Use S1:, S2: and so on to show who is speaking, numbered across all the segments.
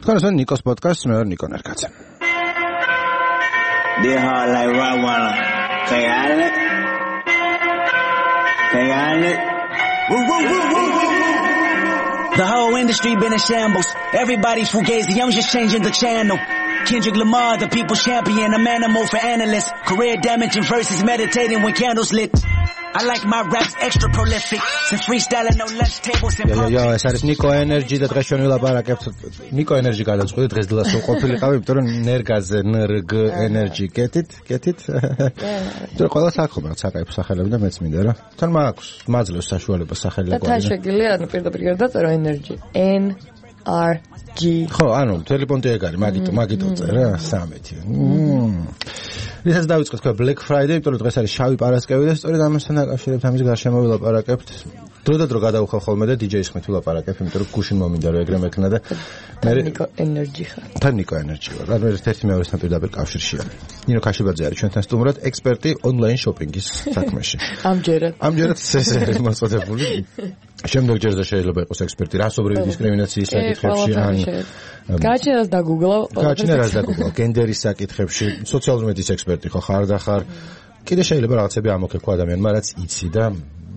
S1: თქვენ ნიკოს პოდკასტს მე ვარ ნიკო ნერგაძე.
S2: They hard like Rottweiler. The whole industry been in shambles. Everybody's fugazi, I'm just changing the channel. Kendrick Lamar, the people's champion, I'm animal for analysts. Career damaging versus meditating when candles lit. I like my raps extra prolific. Since freestyling no lunch tables and
S1: ეს არის Nico Energy და დღეს ჩვენ ვილაპარაკებთ Nico Energy გადაწყვეტით დღეს დილას ყოფილიყავი, იმიტომ რომ ნერგაზე NRG Energy კეთით. თუ ყველა საქმე რაც აკეთებს სახელები და მეც მინდა რა. თან მაქვს მაძლევს საშუალება სახელი
S3: და თან შეგიძლია ანუ პირდაპირ დაწერო Energy NRG.
S1: ხო, ანუ ტელეფონი ეგ არის, მაგიტო წერა 13. რითაც დავიწყეთ თქვა Black Friday, იმიტომ რომ დღეს არის შავი პარასკევი და სწორედ ამასთან დაკავშირებით ამის გარშემო ვილაპარაკებთ. დრო და დრო გადავხვალ ხოლმე და DJ-ის ხმით ვილაპარაკებ, იმიტომ რომ გუშინ მომინდა რომ ეგრე მექნა და მე
S3: Nico Energy ხარ.
S1: თან Nico Energy ვარ. რა ერთ-ერთი მეორესთან პირდაპირ კავშირშია. ნინო ქაშიბაძე არის ჩვენთან სტუმრად, ექსპერტი ონლაინ შოპინგის საქმეში. ამჯერად ეს არის მოწოდებული. შემდეგ ჯერზე შეიძლება იყოს ექსპერტი რასობრივი დისკრიმინაციის საკითხებში ან
S3: გაჩენას
S1: დაგუგლავ გენდერის საკითხებში სოციალური მედიის ექსპერტი ხარ და ხარ კიდე შეიძლება რაღაცები ამოქეკო ადამიანმა რაც იცი და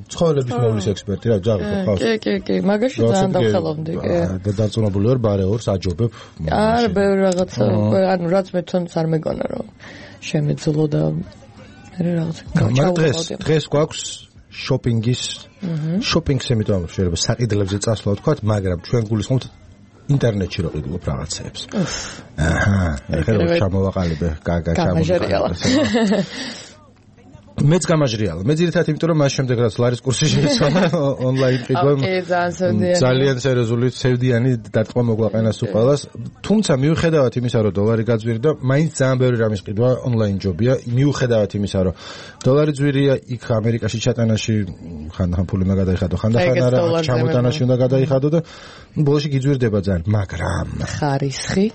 S1: ცხოვრების მოვლის ექსპერტი რა ძაღლი ხარ
S3: კი მაგაში ძალიან დავხელავდი
S1: და დაწუნებული ვარ ბარეორს აჯობებ
S3: არა ბევრი რაღაცა ანუ რაც მე თვითონც არ მეგონა რომ შემეძლო და
S1: რაღაცა დღეს გვაქვს შოპინგის შოპინგს იმიტომ შეიძლება საყიდლებზე წასვლა ვთქვათ, მაგრამ ჩვენ გულისხმობთ ინტერნეტში რო ყიდულობ რაღაცებს. ეხლა ჩამოვაყალიბე, ჩამოვაყალიბე. მეც გამაჟრიალა. მე ძირითადად იმიტომ რომ მას შემდეგ რაც ლარის კურსი შეიცვალა ონლაინ ყიდვა. ძალიან სერიოზული სევდიანი დარტყმა მოგვაყენას უყალას. თუმცა მიუხედავად იმისა რომ დოლარი გაძვირდა, მაინც ძალიან ბევრი რამის ყიდვა ონლაინ ჯობია. მიუხედავად იმისა რომ დოლარი ძვირია, იქ ამერიკაში ჩატანაში ხანდახან ფული უნდა გადაიხადო, ხანდახან არა, ჩამოტანაში უნდა გადაიხადო და ბოლოში გიძვირდება ძალიან, მაგრამ
S3: ხარისხი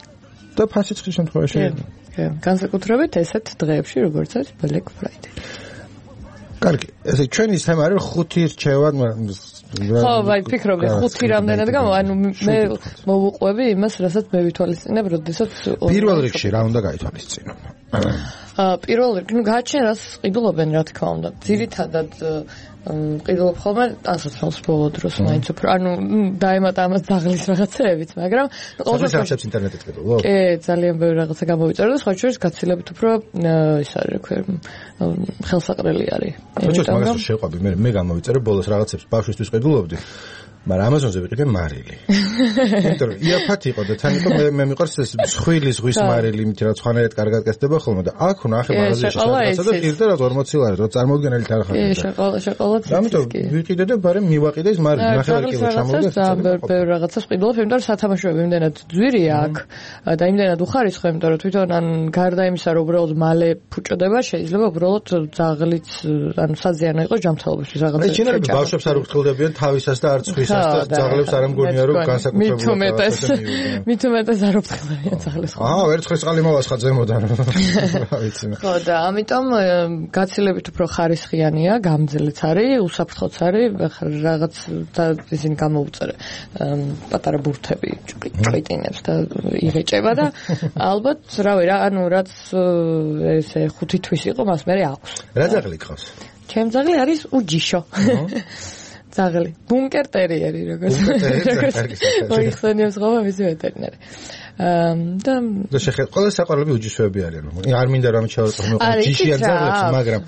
S1: და ფასიცხის შემთხვევაში
S3: განსაკუთრებით ესეთ დღეებში როგორც არის Black Friday.
S1: კარგი, ესე ჩვენი თემა არის 5 რჩევად,
S3: ხო, ვაი, ფიქრობდი 5 რამდენად გამო, ანუ მე მოვუყვები იმას, რასაც მე ვითვალისწინებ, როდესაც
S1: პირველ რიგში რა უნდა გაითვალისწინო?
S3: პირველ რიგში, ну გააჩენ რას ყიდულობენ, რა თქმა უნდა. ძირითადად ყიდულობ ხოლმე ასოციალს ბოლო დროს მაინც უფრო ანუ დაემატა ამას ძაღლის რაღაცეებით, მაგრამ
S1: ყოველთვის რაღაცებს ინტერნეტით ყიდულობ?
S3: კი, ძალიან ბევრი რაღაცა გამოვიწერე და სხვა შორის გაცილებით უფრო ის არის, რა ქვია, ხელსაყრელი არის.
S1: ხო, მაგას შეყვები, მე გამოვიწერე ბოლოს რაღაცებს ბავშვისთვის ყიდულობდი. მაგრამ ამაზონზე ვიყიდე მარილი. იმიტომ რომ იაფად იყო და თან იყო მე მიყვარს ეს მსხვილი ზღვის მარილი, იმით რა ცხანერად კარგად გასდება ხოლმე და აქ უნდა ახლა მაღაზიაში შევასწავლე და ყიდე რა 40 ლარი, რა წარმოუდგენელი თანხა.
S3: კი, შოკოლადი.
S1: ამიტომ ვიყიდე და ბარემ მივაყიდე ეს მარილი, ნახევარი კილო ჩამოვიდა.
S3: ძალიან ბევრი რაღაცას ყიდულობ, იმიტომ რომ სათამაშოები იმდენად ძვირია აქ და იმდენად უხარისხო, იმიტომ რომ თვითონ ან გარდა იმისა, რომ უბრალოდ მალე ფუჭდება, შეიძლება უბრალოდ ძაღლიც ანუ საზიანო იყოს ჯანმრთელობისთვის რაღაცა.
S1: ეჩინები ბავშვებს არ უხტილდებიან თავისას და არც ხვის ძაღლებს არ ამგონია რომ განსაკუთრებულად
S3: მით უმეტეს არ უფრთხილდებიან ძაღლებს.
S1: ვერცხლის წყალი მოვასხა ზემოდან. რა ვიცი მე.
S3: ხო და ამიტომ გაცილებით უფრო ხარისხიანია, გამძლეც არის, უსაფრთხოც არის, რაღაც და ისინი გამოუწერე პატარა ბურთები ჭყიტინებს და იღეჭება და ალბათ რავი რა, ანუ რაც ესე 5 თვის იყო, მას მე აქვს.
S1: რა ძაღლი გყავს?
S3: ჩემ ძაღლი არის უჯიშო. ძაღლი, ბუნკერ ტერიერი როგორც მოიხსენიებს ხოლმე მისი ვეტერინარი. და
S1: შეხეთ ყველა საყვარლები უჯიშოები არიან. არ მინდა რომ ჩავარყო ჯიშიან ძაღლებს, მაგრამ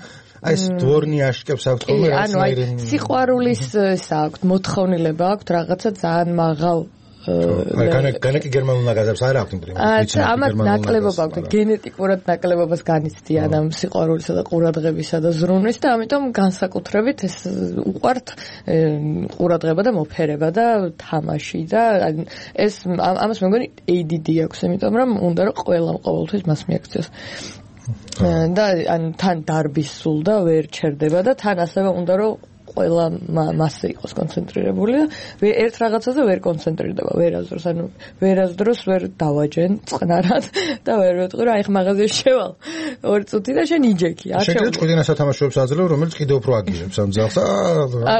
S1: აი ეს დვორნი აშკებს აქვთ ხოლმე რაღაცნაირი
S3: სიყვარულის აქვთ, მოთხოვნილება აქვთ, რაღაცა ძალიან მაღალ
S1: განაკი გერმანულ ნაგაზებს არ აქვთ იმპრიმატი.
S3: ამათ ნაკლებობა აქვთ, გენეტიკურად ნაკლებობას განიცდიან ამ სიყვარულისა და ყურადღებისა და ზრუნვის და ამიტომ განსაკუთრებით ეს უყვართ ყურადღება და მოფერება და თამაში და ეს ამას მე მგონი ADD აქვს, იმიტომ რომ უნდა რომ ყველამ ყოველთვის მას მიაქციოს. და ან თან დარბის სულ და ვერ ჩერდება და თან ასევე უნდა რომ ყველა მასზე იყოს კონცენტრირებული და ერთ რაღაცაზე ვერ კონცენტრირდება, ვერასდროს, ანუ ვერასდროს ვერ დავაჯენ წყნარად და ვერ ვეტყვი, რომ აი ხ მაღაზიაში შევალ 2 წუთი და შენ იჯექი. არ
S1: შეიძლება ჭკვიდინა სათამაშოებს აძლევ, რომელიც კიდევ უფრო აგირებს ამ ძაღლს.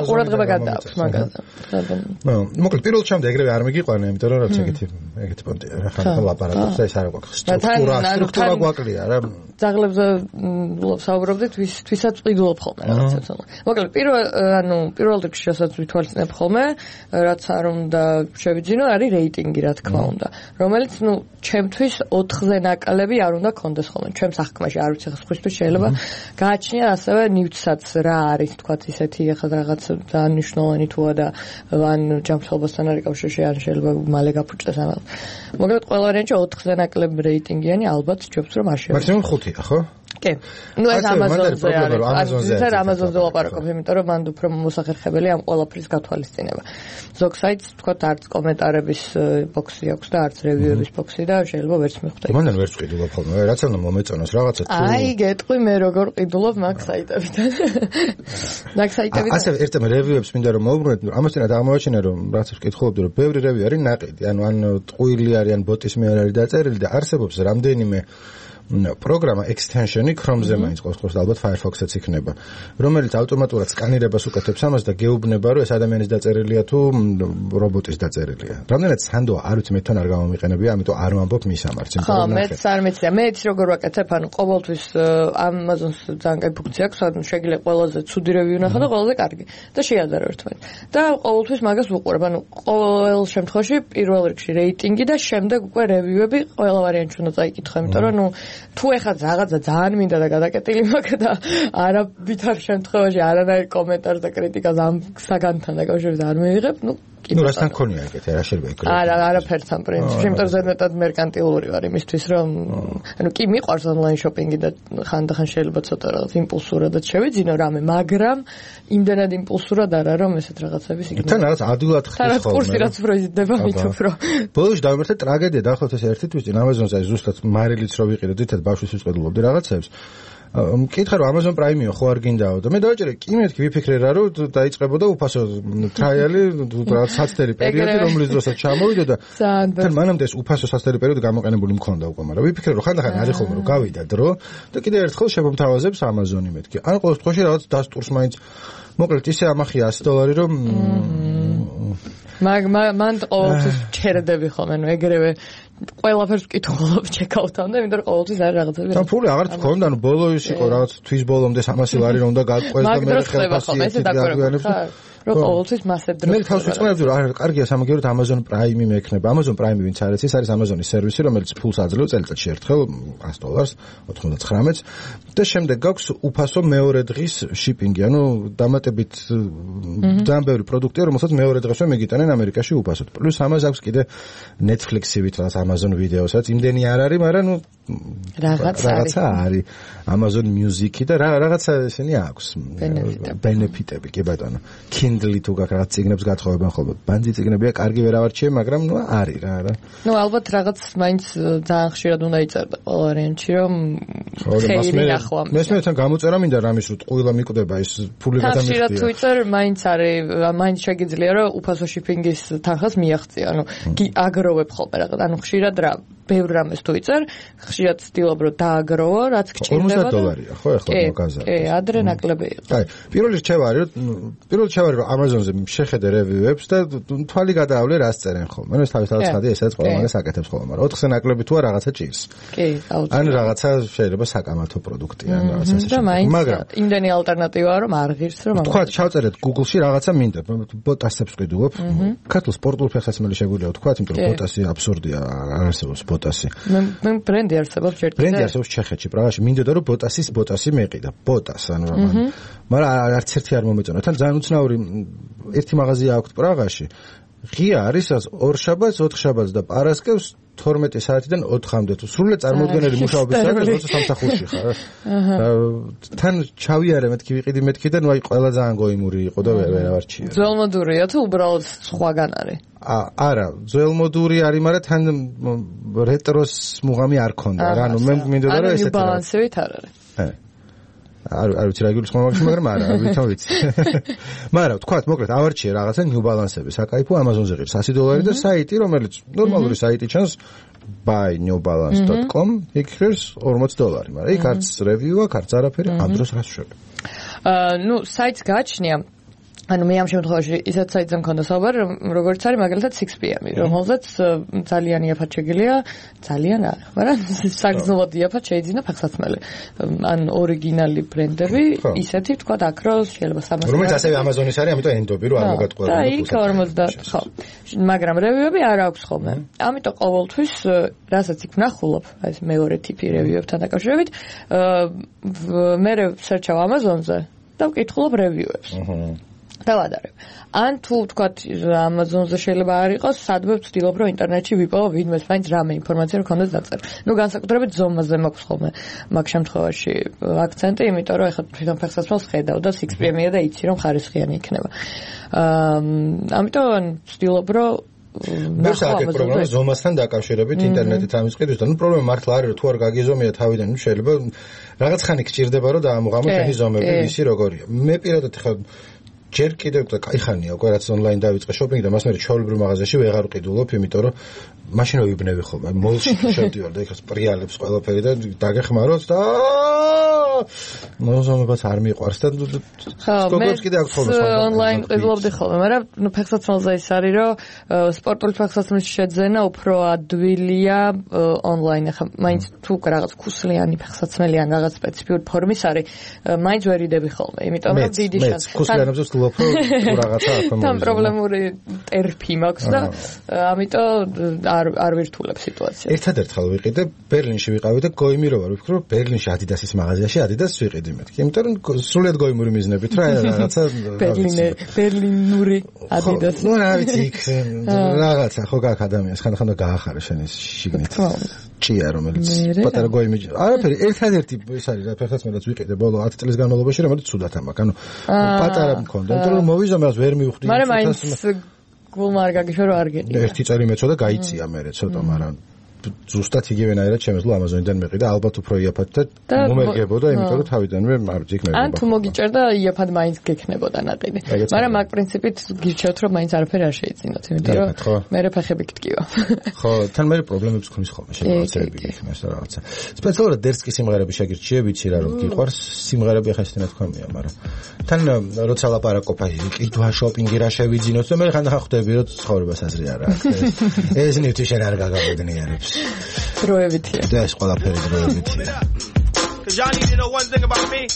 S3: ყურადღება გადააქვს მაგაზე.
S1: მოკლედ პირველ ჩემამდე ეგრევე არ მიგიყვანა, იმიტომ რომ რაც ეგეთი პონტია რა ხარ ლაპარაკობს და ეს არ გვაქვს სტრუქტურა გვაკლია რა.
S3: ძაღლებზე საუბრობდით, ვისაც ყიდულობ ხოლმე რაღაცებს. მოკლედ პირველ რიგში რასაც ვითვალისწინებ ხოლმე, რაც არ უნდა შევიძინო, არის რეიტინგი, რა თქმა უნდა, რომელიც ჩემთვის 4-ზე ნაკლები არ უნდა კონდეს ხოლმე. ჩემ სახკმაში არ ვიცი ხისთვის შეიძლება გააჩნია ასევე ნივთსაც რა არის, თქვათ ისეთი ახლა რაღაც ძალიან მნიშვნელოვანი თუა და ან ჯანმრთელობასთან არის კავშირში, ან შეიძლება მალე გაფუჭდეს ამას. მოკლედ ყველა ვარიანტში 4-ზე ნაკლები რეიტინგიანი ალბათ ჯობს რომ არ შევიძინო.
S1: მაქსიმუმ 5-ია, ხო?
S3: კი. ნუ ეს ამაზონზე არის. ეს ამაზონზე ვაპარაკობ, იმიტომ რომ მან უფრო მოსახერხებელი ამ ყველაფრის გათვალისწინება. ზოგ საიტს თქვათ არც კომენტარების ბოქსი აქვს და არც რევიუების ბოქსი და შეიძლება ვერც მიხვდე.
S1: მანდ ვერც ყიდულობ ხოლმე, რაც უნდა მომეწონოს რაღაცა თუ
S3: აი, გეტყვი მე როგორ ყიდულობ მაგ საიტებიდან. მაგ საიტებიდან.
S1: ასე ერთმა რევიუებს მინდა რომ მოვუბრუნოთ, ამასთანავე აღმოაჩინა რომ რაღაცებს კითხულობდი რომ ბევრი რევიუ არის ნაყიდი, ანუ ან ტყუილი არის, ან ბოტის მიერ არის დაწერილი და არსებობს რამდენიმე პროგრამა extension-ი Chrome-ზე მაინც ყოველთვის ალბათ Firefox-იც იქნება, რომელიც ავტომატურად სკანირებას უკეთებს ამას და გეუბნება, რომ ეს ადამიანის დაწერილია თუ რობოტის დაწერილია. რამდენად სანდოა, არ ვიცი, მე თან არ გამომიყენებია, ამიტომ არ ვამბობ მის ამარც.
S3: ხო, მეც არ მეცია. მეც როგორ ვაკეთებ, ანუ ყოველთვის Amazon-ს ძალიან კაი ფუნქცია აქვს, ანუ შეგიძლია ყველაზე ცუდი რევიუ ნახო და ყველაზე კარგი და შეაძარო ერთმანეთს. და ყოველთვის მაგას ვუყურებ, ანუ ყოველ შემთხვევაში პირველ რიგში რეიტინგი და შემდეგ უკვე რევიუები ყველა ვარიანტში უნდა წაიკითხო, იმიტომ რომ თუ ეხლა რაღაცა ძალიან მინდა და გადაკეტილი მაქვს და არავითარ შემთხვევაში არანაირ კომენტარს და კრიტიკას ამ საგანთან დაკავშირებით არ მივიღებ,
S1: ნუ რასთან ქონია ეგეთი, რა შეიძლება ეკრა.
S3: არაფერთან პრინციპში, იმიტომ რომ ზედმეტად მერკანტილური ვარ იმისთვის, რომ ანუ კი მიყვარს ონლაინ შოპინგი და ხანდახან შეიძლება ცოტა რაღაც იმპულსურადაც შევიძინო რამე, მაგრამ იმდენად იმპულსურად არა, რომ ესეთ რაღაცების იგნორირებ.
S1: თან რაღაც ადვილად ხდება ხოლმე.
S3: თან კურსი რაც უფრო იზრდება, მით უფრო.
S1: ბოლოს დავიმართე ტრაგედია, დაახლოებით ეს ერთი თვისწინ Amazon-ზე ზუსტად მარილიც რო ვიყიდე, თითქოს ბავშვის ვიწყებულობდი რაღაცებს. მკითხა რომ Amazon Prime-ი ხო არ გინდაო და მე დავაჭერე კი მეთქი ვიფიქრე რა რომ დაიწყებოდა უფასო ტრაიალი საცდელი პერიოდი რომლის დროსაც ჩამოვიდა და თან მანამდე ეს უფასო საცდელი პერიოდი გამოყენებული მქონდა უკვე, მაგრამ ვიფიქრე რომ ხანდახან არის ხოლმე რომ გავიდა დრო და კიდევ ერთხელ შემომთავაზებს Amazon-ი მეთქი. ან ყოველ შემთხვევაში რაღაც დასტურს მაინც მოკლედ ისე ამახია $100 რომ
S3: მან ყოველთვის ჩერდები ხოლმე, ნუ ეგრევე ყველაფერს ვკითხულობ ჩეკაუთამდე, იმიტომ რომ ყოველთვის არის რაღაცები.
S1: თან ფული აღარ თქონდა, ანუ ბოლო ის იყო რაღაც თვის ბოლომდე 300 ლარი რომ უნდა გაყვეს და მე ხელფასი დაგვიანებს.
S3: რომ ყოველთვის მასებ დროს.
S1: მე თავს ვიწყებდი რომ არა, კარგია სამაგიეროდ Amazon Prime-ი მექნება. Amazon Prime-ი ვინც არის, ეს არის Amazon-ის სერვისი, რომელიც ფულს აძლევს წელიწადში ერთხელ $100, 99 და შემდეგ გაქვს უფასო მეორე დღის შიპინგი, ანუ დამატებით ძალიან ბევრი პროდუქტია, რომელსაც მეორე დღესვე მეგიტანენ ამერიკაში უფასოდ. პლუს ამას აქვს კიდე Netflix-ივით რაღაც Amazon ვიდეოსაც, იმდენი არ არის, მაგრამ ნუ რაღაცა არის. Amazon Music-ი და რაღაცა ესენი აქვს. ბენეფიტები, კი ბატონო. Kindle თუ გაქვს რაღაც წიგნებს გათხოვებენ ხოლმე. ბანძი წიგნებია, კარგი ვერ ავარჩიე, მაგრამ ნუ არის რა. ნუ
S3: ალბათ რაღაც მაინც ძალიან ხშირად უნდა იწერდა ყველა ვარიანტში, რომ ხელი ნახვა.
S1: მესმეთან გამოწერა მინდა რამის რომ ტყუილა მიკვდება ეს ფული გადამიხდია.
S3: ხშირად თუ იწერ, მაინც არის, მაინც შეგიძლია რომ უფასო შიპინგის თანხას მიაღწია, ანუ აგროვებ ხოლმე რაღაც, ანუ ხშირად რა ბევრ რამეს თუ იწერ, ხშირად ვცდილობ რომ დააგროვო, რაც გჭირდება.
S1: $40 ხო ახლა მოგაზარდა.
S3: კი, ადრე ნაკლები იყო.
S1: აი, პირველი რჩევა რომ Amazon-ზე შეხედე რევიუებს და თვალი გადაავლე რას წერენ ხოლმე. ანუ ეს თავისთავად ხადი ესეც ყველა მაგას აკეთებს ხოლმე, მაგრამ 4-ზე ნაკლები თუ რაღაცა ჭირს.
S3: კი, აუცილებლად.
S1: ან რაღაცა შეიძლება საკამათო პროდუქტი ან რაღაცა
S3: ესე. მაგრამ იმდენი ალტერნატივაა რომ არ ღირს რომ
S1: თქვა ჩავწერეთ Google-ში რაღაცა მინდა, ბოტასებს ვყიდულობ. ქართულ სპორტულ ფეხსაცმელი შეგვიძლია თქვა, იმიტომ რომ ბოტასი აბსურდია, არ არსებობს ბოტასი.
S3: მე ბრენდი არსებობს ჯერ კიდევ.
S1: ბრენდი არსებობს ჩეხეთში, პრაღაში. მინდოდა რომ ბოტასი მეყიდა. ბოტას, ანუ რა მაგრამ არც ერთი არ მომეწონა. თან ძალიან უცნაური ერთი მაღაზია აქვს პრაღაში. ღია არის 2 შაბათს, 4 შაბათს და პარასკევს 12 საათიდან 4-მდე. თუ სრულად წარმოუდგენელი მუშაობის საათი, როცა სამსახურში ხარ. თან ჩავიარე მეთქი ვიყიდი მეთქი და ნუ აი ყველა ძალიან გოიმური იყო და ვერ ავარჩია.
S3: ძველმოდურია თუ უბრალოდ სხვაგან არის?
S1: არა, ძველმოდური არის, მაგრამ თან რეტროს მუღამი არ ქონდა. რა, ანუ მე მინდოდა რომ ესეთი
S3: ბალანსივით არ არის.
S1: არ ვიცი რა გულისხმობ მაგაში, მაგრამ არა, ვითომ ვიცი. მაგრამ თქვათ, მოკლედ ავარჩიე რაღაცა New Balance-ები, საკაიფო Amazon-ზე ღირს $100 და საიტი, რომელიც ნორმალური საიტი ჩანს buynewbalance.com, იქ ღირს $40, მაგრამ იქ არც review-ა, არც არაფერი, ამ დროს რას შვები?
S3: ნუ საიტს გააჩნია ანუ მე ამ შემთხვევაში ისაც საიტზე მქონდა საუბარი, როგორც არის მაგალითად 6PM, რომელზეც ძალიან იაფად შეგიძლია, ძალიან არა, მაგრამ საგრძნობად იაფად შეიძინა ფეხსაცმელი. ან ორიგინალი ბრენდები, ისეთი თქვა აკროს, შეიძლება 300.
S1: რომელიც ასევე Amazon-ის არის, ამიტომ ენდობი რომ არ მოგატყუებია.
S3: და იქ 50, ხო. მაგრამ რევიუები არ აქვს ხოლმე. ამიტომ ყოველთვის რასაც იქ ვნახულობ, ეს მეორე ტიპი რევიუებთან დაკავშირებით, მე სერჩავ Amazon-ზე და ვკითხულობ რევიუებს. დავადარებ. ან თუ თქვათ Amazon-ზე შეიძლება არ იყოს, სადმე ვცდილობ რომ ინტერნეტში ვიპოვო ვინმეს მაინც რამე ინფორმაცია რომ ქონდეს დაწერ. ნუ განსაკუთრებით ზომაზე მაქვს ხოლმე მაგ შემთხვევაში აქცენტი, იმიტომ რომ ეხლა თვითონ ფეხსაცმელს ხედავ და 6PM-ია და იცი რომ ხარისხიანი იქნება. ამიტომ ვცდილობ რომ
S1: მე საერთოდ პრობლემა ზომასთან დაკავშირებით ინტერნეტით ამის ყიდვისთან. ნუ პრობლემა მართლა არის რომ თუ არ გაგიზომია თავიდან, ნუ შეიძლება რაღაც ხანი გჭირდება რომ დაამოღამო თქვენი ზომები ისი როგორია. მე პირადად ხა ჯერ კიდევ და კაი ხანია უკვე რაც ონლაინ დავიწყე შოპინგი და მას მე ჩვეულებრივ მაღაზიაში ვეღარ ვყიდულობ, იმიტომ რომ მაშინ ვიბნევი ხოლმე მოლში შევდივარ და ეხლა სპრიალებს ყველაფერი და დაგეხმაროთ და მოზომებაც არ მიყვარს და სკოპებს კიდე აქვს ხოლმე
S3: ონლაინ ყიდულობდი ხოლმე, მაგრამ ნუ ფეხსაცმელზე ის არის რომ სპორტული ფეხსაცმლის შეძენა უფრო ადვილია ონლაინ. ახლა მაინც თუ რაღაც ქუსლიანი ფეხსაცმელი ან რაღაც სპეციფიური ფორმის არის, მაინც ვერიდები ხოლმე, იმიტომ რომ დიდი შანსი
S1: ქუსლიანებს ვსულობ რომ რაღაცა აქვს.
S3: თან პრობლემური ტერფი მაქვს და ამიტომ არ ვირთულებ სიტუაციას.
S1: ერთადერთხელ ვიყიდე ბერლინში ვიყავი და გოიმი რო ვარ, ვფიქრობ რომ ბერლინში Adidas-ის მაღაზიაში Adidas-ს ვიყიდი მეთქი, იმიტომ რომ სრულიად გოიმური მიზნებით რა რაღაცა
S3: ბერლინური Adidas.
S1: ნუ რა ვიცი იქ რაღაცა ხო გაქვს ადამიანს ხან გაახარა შენ ის შიგნით. ჭია რომელიც პატარა გოიმი. არაფერი, ერთადერთი ის არის რა ფეხსაცმელიც ვიყიდე ბოლო 10 წლის განმავლობაში, რომელიც ცუდად ამაკ. ანუ პატარა მქონდა, იმიტომ რომ მოვიზომე მას ვერ მივხვდი.
S3: მაგრამ მაინც გულმა არ გაგიშვა რომ არ გეყიდა.
S1: ერთი წელი მეცოდა გაიწია მე ცოტა, მაგრამ ზუსტად იგივენაირად შემეძლო Amazon-დან მეყიდა, ალბათ უფრო იაფად და მომერგებოდა, იმიტომ რომ თავიდანვე არ ვიქ მე.
S3: ან თუ მოგიჭერდა იაფად მაინც გექნებოდა ნაყიდი. მაგრამ მაგ პრინციპით გირჩევთ რომ მაინც არაფერი არ შეიძინოთ, იმიტომ რომ მე ფეხები გტკივა.
S1: ხო, თან მე პრობლემებს მქონს ხოლმე შეფასებები იქნას და რაღაცა. სპეციალურად დერსკი სიმღერები შეგირჩიე, ვიცი რა რომ გიყვარს, სიმღერები ახლა ესეთნაირად თქვამია, მაგრამ თან როცა ლაპარაკობ აი ყიდვა შოპინგი რა შევიძინოთ და მე ხანდახან ხვდები რომ ცხოვრებას აზრი არ აქვს. ეს ნივთი შენ არ გაგაბედნიერებს.
S3: დროებითია.
S1: და ეს ყველაფერი დროებითია.
S4: Cause y'all need to know one thing about me.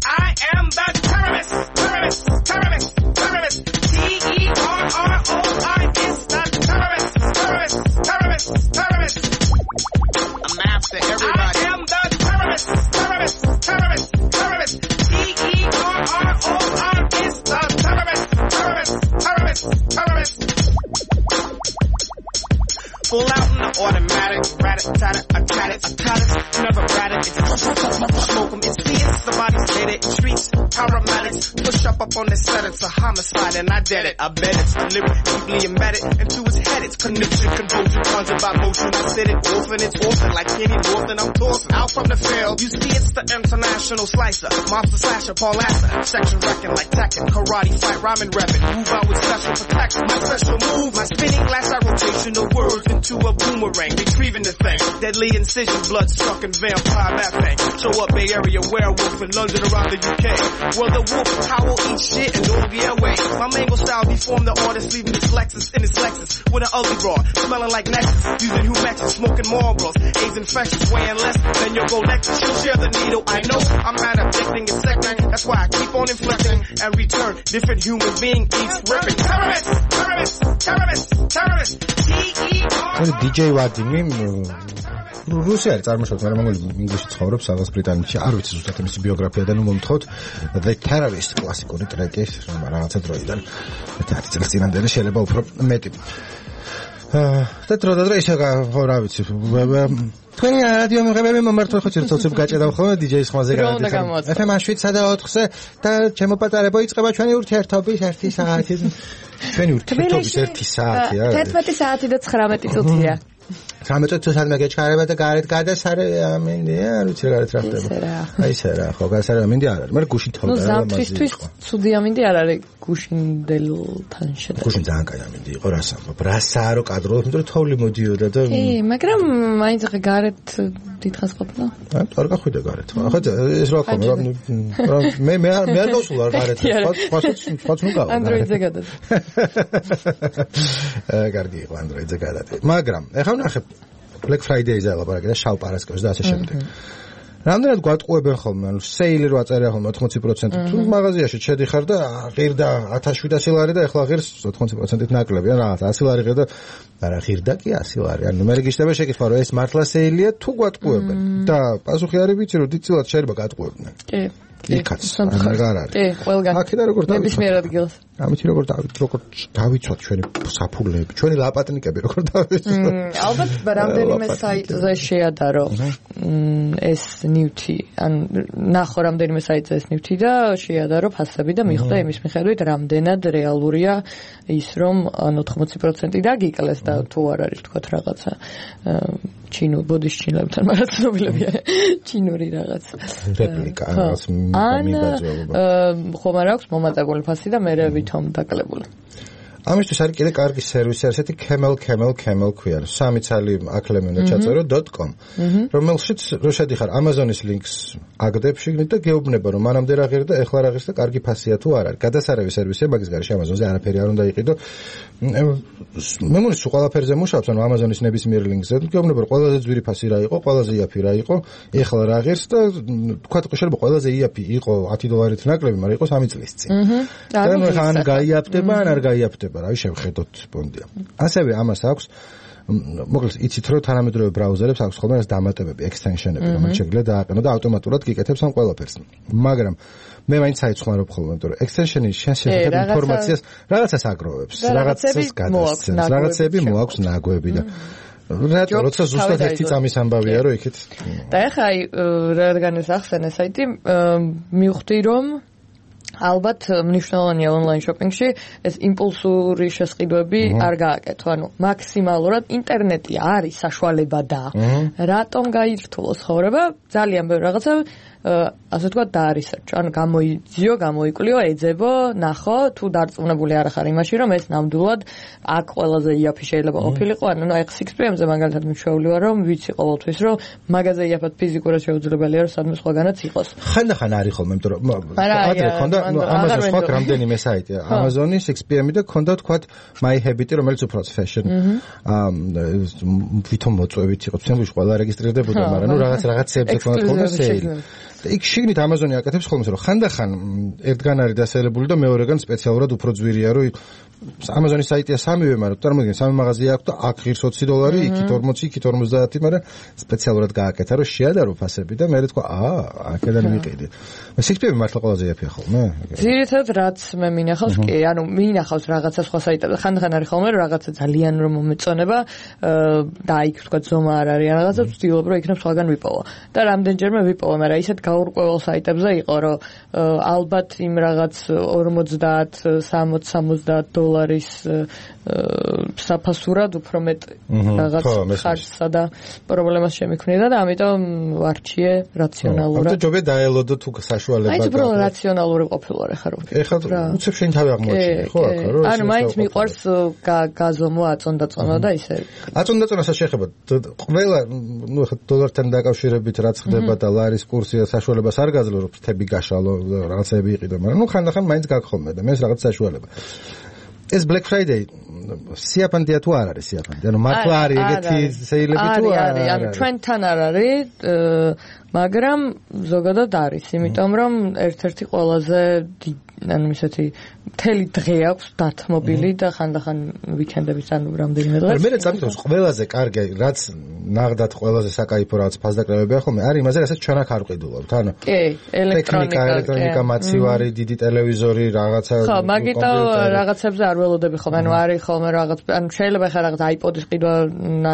S4: I am the terrorist. T-E-R-R-O-I-S, the terrorist. I'm after everybody. I am the terrorist. T-E-R-R-O-I-S, the terrorist. Full out in the automatic, rat-a-tat-a, I tat it, never rat it, smoke them, it's fierce, the body's dead it, streets, paramedics, push up on the set, it's a homicide, and I did it, I bet it's deliberate, deeply embedded, into his head, it's connection, confusion, conjure by motion, I said it, it's orphan, like Kenny Norton, I'm tossing out from the field, you see it's the international slicer, monster slasher, Paul Lasser, section wrecking like Tekken, karate fight, rhyming rapping, move out with special protection, my special move, my spinning glass, I rotation the words, to a boomerang, retrieving the thing. Deadly incision, blood-sucking vampire mapping. Show up Bay Area werewolf in London around the UK. Well, the wolf howl, eat shit, and all the airway. My mango style deformed the artist, leaving his Lexus in his Lexus with an ugly broad, smelling like Nexus, using Humexes, smoking Marlboros, AIDS infections, weighing less than your Go Lexus. She'll share the needle, I know I'm not addicting, it's second. That's why I keep on inflicting and return different human being each ripping. Terrorist.
S1: DJ ვადიმი რუსი არის წარმოშობით, მაგრამ მongoli ინგლისში ცხოვრობს, სადაც ბრიტანეთში. არ ვიცი ზუსტად მისი ბიოგრაფია და ნუ მომთხოვთ The Terrorist კლასიკური ტრეკი, რაღაცა დროიდან 10 წელს წინამდე შეიძლება უფრო მეტი. და დრო ისე ხო რა ვიცი. თქვენი რადიო მიღებები მომართვა ხო ცირცოცებ გაჭედავ ხოლმე DJ-ის ხმაზე გადადიხარ. FM 7-4-ზე და ჩემო პატარებო იწყება ჩვენი ურთიერთობის 1 საათი. ჩვენი ურთიერთობის 1 საათია.
S3: 11 საათი და 19 წუთია.
S1: 13 წუთი სადმე გეჩქარება და გარეთ გადასარე ამინდია, არ ვიცი რა გარეთ რა ხდება. აი ესე რა, ხო, გადასარე ამინდი არ არის. მაგრამ გუშინ თოვდა რა მასი. ნუ
S3: ზამთრისთვის ცუდი ამინდი არ არის გუშინდელთან შედარებით.
S1: გუშინ ძალიან კაი ამინდი იყო, რას ამბობ. რასაა რო კადრობ, იმიტომ რომ თოვლი მოდიოდა და
S3: მაგრამ მაინც ახლა გარეთ დიდხანს ყოფნა.
S1: არ გახვიდა გარეთ. ახლა ეს რა ხომ მე არ გავსულ არ გარეთ. სხვაც ნუ გავა.
S3: Android-ზე გადადი.
S1: კარგი იყო Android-ზე გადადი. მაგრამ ეხლა ვნახე Black Friday-ზე ლაპარაკი და შავ პარასკევს და ასე შემდეგ. რამდენად გვატყუებენ ხოლმე, ანუ სეილი რო აწერია ხოლმე 80%. თუ მაღაზიაში შედიხარ და ღირდა 1700 ლარი და ეხლა ღირს 80%-ით ნაკლები, ან რაღაც 100 ლარი ღირდა, არა ღირდა კი 100 ლარი. ანუ მე გიშდება შეკითხვა, რომ ეს მართლა სეილია თუ გვატყუებენ და პასუხი არის ვიცი, რომ დიდწილად შეიძლება გატყუებდნენ.
S3: კი.
S1: იქაც აღარ არის.
S3: კი, ყველგან.
S1: აქედან როგორ
S3: ნებისმიერ ადგილას.
S1: ამით როგორ დავიცვათ ჩვენი საფულეები, ჩვენი ლაპატნიკები როგორ დავიცვათ.
S3: ალბათ რამდენიმე საიტზე შეადარო ეს ნივთი, ან ნახო რამდენიმე საიტზე ეს ნივთი და შეადარო ფასები და მიხვდა იმის მიხედვით რამდენად რეალურია ის რომ 80% დაგიკლეს და თუ არ არის თქვა რაღაცა ჩინურ ბოდიშ ჩინელებთან მაგრამ ცნობილებია ჩინური რაღაც
S1: რეპლიკა რაღაც მიმაძვება
S3: ხომ არ აქვს მომატებული ფასი და მე ვითომ დაკლებული
S1: ამისთვის არის კიდე კარგი სერვისი ასეთი camel ქვია სამი ცალი აკლემენო ჩაწერო.com რომელშიც რო შედიხარ Amazon-ის ლინკს აგდებ შიგნით და გეუბნება რომ მანამდე რა ღირდა ეხლა რა ღირს და კარგი ფასია თუ არ არის გადასარევი სერვისია მაგის გარშე Amazon-ზე არაფერი არ უნდა იყიდო მე მგონი სულ ყველაფერზე მუშაობს ანუ Amazon-ის ნებისმიერ ლინკზე გეუბნება რომ ყველაზე ძვირი ფასი რა იყო ყველაზე იაფი რა იყო ეხლა რა ღირს და თქვა შეიძლება ყველაზე იაფი იყო $10 ნაკლები მაგრამ იყო 3 წლის წინ და ან გაიაფდება ან არ გაიაფდება რავი შევხედოთ პონდია. ასევე ამას აქვს მოკლედ იცით რომ თანამედროვე ბრაუზერებს აქვს ხოლმე ეს დამატებები, extension-ები, რომელიც შეიძლება დააყენო და ავტომატურად გიკეთებს ამ ყველაფერს. მაგრამ მე მაინც საიცხმარობ ხოლმე, იმიტომ რომ extension-ი შეიძლება ინფორმაციას რაღაცას აგროვებს, რაღაცას გადასცემს, რაღაცები მოაქვს ნაგვები და რატო როცა ზუსტად ერთი წამის ამბავია რომ იქით
S3: და ეხლა აი რადგან ეს ახსენე საიტი მივხვდი რომ ალბათ მნიშვნელოვანია ონლაინ შოპინგში ეს იმპულსური შესყიდვები არ გააკეთო. ანუ მაქსიმალურად ინტერნეტი არის საშუალება და რატომ გაირთულოს ხოვრება ძალიან ბევრი რაღაცა ასე თქვა დაარისერჩო. ანუ გამოიძიო, გამოიკვლიო, ეძებო, ნახო, თუ დარწმუნებული არ ხარ იმაში, რომ ეს ნამდვილად აქ ყველაზე იაფი შეიძლება ყოფილიყო. ანუ აი 6PM-ზე მაგალითად მიჩვეული ვარ, რომ ვიცი ყოველთვის, რომ მაგაზე იაფად ფიზიკურად შეუძლებელია, რომ სადმე სხვაგანაც იყოს.
S1: ხანდახან არის ხოლმე, იმიტომ რომ ადრე ქონდა Amazon-ს ხო რამდენიმე საიტი, Amazon-ი 6PM-ი და ქონდა თქვათ My Habit, რომელიც უფრო fashion. ვითომ მოწვევით იყო, თემში ყველა რეგისტრირდებოდა, მაგრამ ნუ რაღაცებზე ქონდა სეილი. იქ შიგნით Amazon-ი აკეთებს ხოლმე რომ ხანდახან ერთგან არის დასალებული და მეორეგან სპეციალურად უფრო ძვირია რომ Amazon-ის საიტია სამივე მაგრამ წარმოიდგინე სამი მაღაზია აქვს და აქ ღირს $20 იქით 40 იქით 50 მაგრამ სპეციალურად გააკეთა რომ შეადარო ფასები და მე თქვა აქედან ვიყიდი 6PM მართლა ყველაზე იაფია ხოლმე
S3: ძირითადად რაც მე მინახავს კი ანუ მინახავს რაღაცა სხვა საიტებზე ხანდახან არის ხოლმე რომ რაღაცა ძალიან რომ მომეწონება და იქ თქვა ზომა არ არის რაღაცა ვცდილობ რომ იქნებ სხვაგან ვიპოვო და რამდენჯერმე ვიპოვე მაგრამ ისეთ გაურკვეველ საიტებზე იყო რომ ალბათ იმ რაღაც 50-60-70 $-ის საფასურად უფრო მეტ რაღაც ხარჯსა და პრობლემას შემიქმნიდა და ამიტომ ვარჩიე რაციონალურად.
S1: ამიტომ ჯობია დაელოდო თუ საშუალება.
S3: აი უფრო რაციონალური ყოფილვარ ახლა რომ.
S1: ეხლა უცებ შენ თავი აღმოჩინე ხო აქ რომ
S3: ანუ მაინც მიყვარს გაზომვა აწონდაწონა და ისე.
S1: აწონდაწონასაც შეხება ყველა ნუ ახლა დოლართან დაკავშირებით რაც ხდება და ლარის კურსია საშუალებას არ გაძლო რომ თები გაშალო რაღაცები იყიდო მაგრამ ნუ ხანდახან მაინც გაგხომე და მე ეს რაღაც საშუალება. ეს Black Friday სიაფანდია თუ არ არის სიაფანდი? ანუ მართლა არის ეგეთი სეილები თუ არ არის?
S3: ანუ ჩვენთან არ არის, მაგრამ ზოგადად არის, იმიტომ რომ ერთ-ერთი ყველაზე ანუ ისეთი მთელი დღე აქვს დათმობილი და ხანდახან ვიკენდების ანუ რამდენიმე დღე.
S1: მე წამიტოს ყველაზე კარგი რაც ნაღდად ყველაზე საკაიფო რაღაც ფასდაკლებებია ხოლმე არის იმაზე რასაც ჩვენ აქ არ ვყიდულობთ ანუ
S3: კი
S1: ელექტრონიკა მაცივარი დიდი ტელევიზორი რაღაცა
S3: ხო მაგიტო რაღაცებზე არ ველოდები ხოლმე ანუ არის ხოლმე რაღაც ანუ შეიძლება ხა რაღაც iPod-ის ყიდვა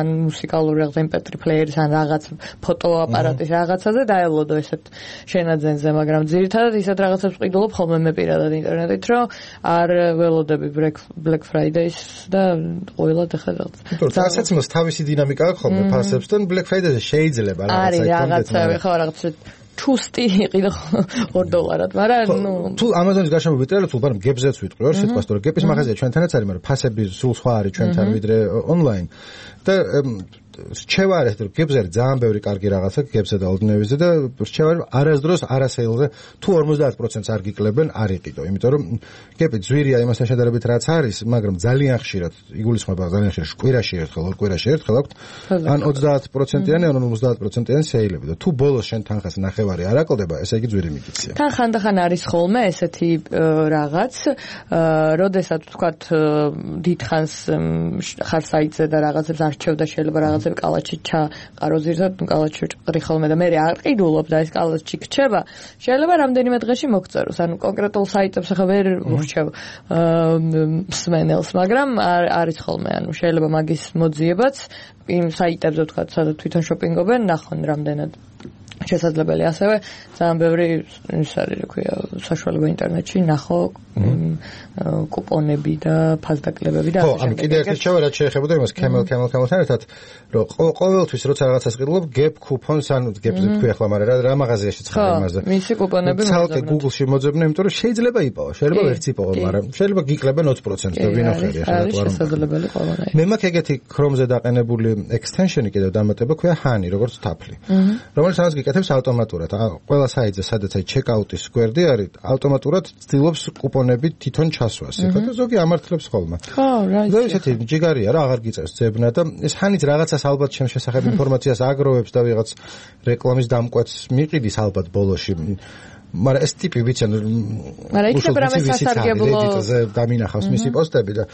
S3: ან მუსიკალური რაღაც MP3 პლეიერის ან რაღაც ფოტოაპარატის რაღაცაზე დაელოდო ესეთ შენაძენზე მაგრამ ძირითადად ისეთ რაღაცებს ყიდულობ ხოლმე მე პირადად ინტერნეტით რომ არ ველოდები Black Friday-ს და ყოველად ახლა რაღაც
S1: რასაც მას თავისი დინამიკა აქვს ხოლმე ფასებსთან Black Friday-ზე შეიძლება
S3: რაღაცა ხო რაღაცა ჩუსტი იყიდო $2, მაგრამ ნუ
S1: თუ Amazon-ის გარშემო ვიტრიალებ, თუ ბარემ გებზეც ვიტყვი, რა სიტყვას თორე გეპის მაღაზია ჩვენთანაც არის, მაგრამ ფასები სულ სხვა არის ჩვენთან ვიდრე ონლაინ და რჩევა არის რომ გებზე ძალიან ბევრი კარგი რაღაცა გებზე და ოლდნევიზე და რჩევა არასდროს არასეილზე თუ 50%-ს არ გიკლებენ არ იყიდო, იმიტომ რომ გეპი ძვირია იმასთან შედარებით რაც არის, მაგრამ ძალიან ხშირად იგულისხმება ძალიან ხშირად კვირაში ერთხელ, ორ კვირაში ერთხელ აქვს ან 30%-იანი ან 50%-იანი სეილები და თუ ბოლოს შენ თანხას ნახევარი არ აკლდება, ესე იგი ძვირი მიგიცია.
S3: თან ხანდახან არის ხოლმე ესეთი რაღაც, როდესაც ვთქვათ დიდხანს ხარ საიტზე და რაღაცებს არჩევ და შეიძლება რაღაც კალაჩი ჩაყარო ზირთად კალაჩი ჭყრი ხოლმე და მე არ ყიდულობ და ეს კალაჩი გრჩება შეიძლება რამდენიმე დღეში მოგწეროს ანუ კონკრეტულ საიტებს ახლა ვერ ვრჩევ სმენელს მაგრამ არის ხოლმე ანუ შეიძლება მაგის მოძიებაც იმ საიტებზე ვთქვათ სადაც თვითონ შოპინგობენ ნახონ რამდენად შესაძლებელი ასევე ძალიან ბევრი ის არის რა ქვია საშუალება ინტერნეტში ნახო კუპონები და ფასდაკლებები და
S1: ხო ანუ კიდევ ერთი რჩევა რაც შეეხებოდა იმას camel-თან ერთად რომ ყოველთვის როცა რაღაცას ყიდულობ gap coupons ანუ gap-ზე თქვი ახლა მაგრამ რა მაღაზიაში ცხარე იმაზე
S3: მისი კუპონები
S1: ცალკე Google-ში მოძებნე იმიტომ რომ შეიძლება იპოვო შეიძლება ვერც იპოვო მაგრამ შეიძლება გიკლებენ 20% და ვინახერი ახლა
S3: რა შესაძლებელი ყველანაირი
S1: მე მაქვს ეგეთი Chrome-ზე დაყენებული extension-ი კიდევ დამატება ქვია Honey როგორც თაფლი რომელიც ამას გიკეთებს ავტომატურად ყველა საიტზე სადაც აი checkout-ის გვერდი არის ავტომატურად ცდილობს კუპონები თვითონ ჩასვას ეხლა და ზოგი ამართლებს ხოლმე
S3: ხო რა
S1: და ესეთი ჯიგარია რა აღარ გიწევს ძებნა და ეს Honey-ს რაღაცას ალბათ ჩემ შესახებ ინფორმაციას აგროვებს და ვიღაც რეკლამის დამკვეთს მიყიდის ალბათ ბოლოში მაგრამ ეს ტიპი ვიცი
S3: მაგრამ იქნება რამე სასარგებლო
S1: დამინახავს მისი პოსტები და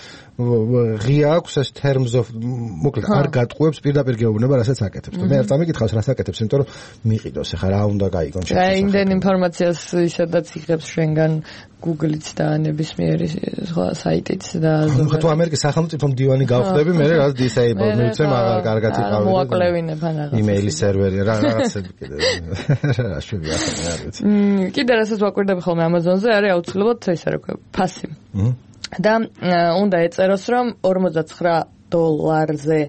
S1: ღია აქვს ეს terms of მოკლედ არ გატყუებს პირდაპირ გეუბნება რასაც აკეთებს და მე არ წამიკითხავს რას აკეთებს იმიტომ რომ მიყიდოს ახლა რა უნდა გაიგონ
S3: და იმდენ ინფორმაციას ისედაც იღებს შენგან Google-იც და ნებისმიერი სხვა საიტიც და
S1: თუ ამერიკის სახელმწიფო მდივანი გავხდები მე რა disable მივცემ აღარ კარგად იყავი
S3: მოაკლევინებ ან რაღაც
S1: იმეილის სერვერი რაღაცები კიდე რა შვიდია ახლა არ ვიცი
S3: კიდე რასაც ვაკვირდები ხოლმე Amazon-ზე არის აუცილებლად ესე რა ქვია ფასი და უნდა ეწეროს რომ $49-ზე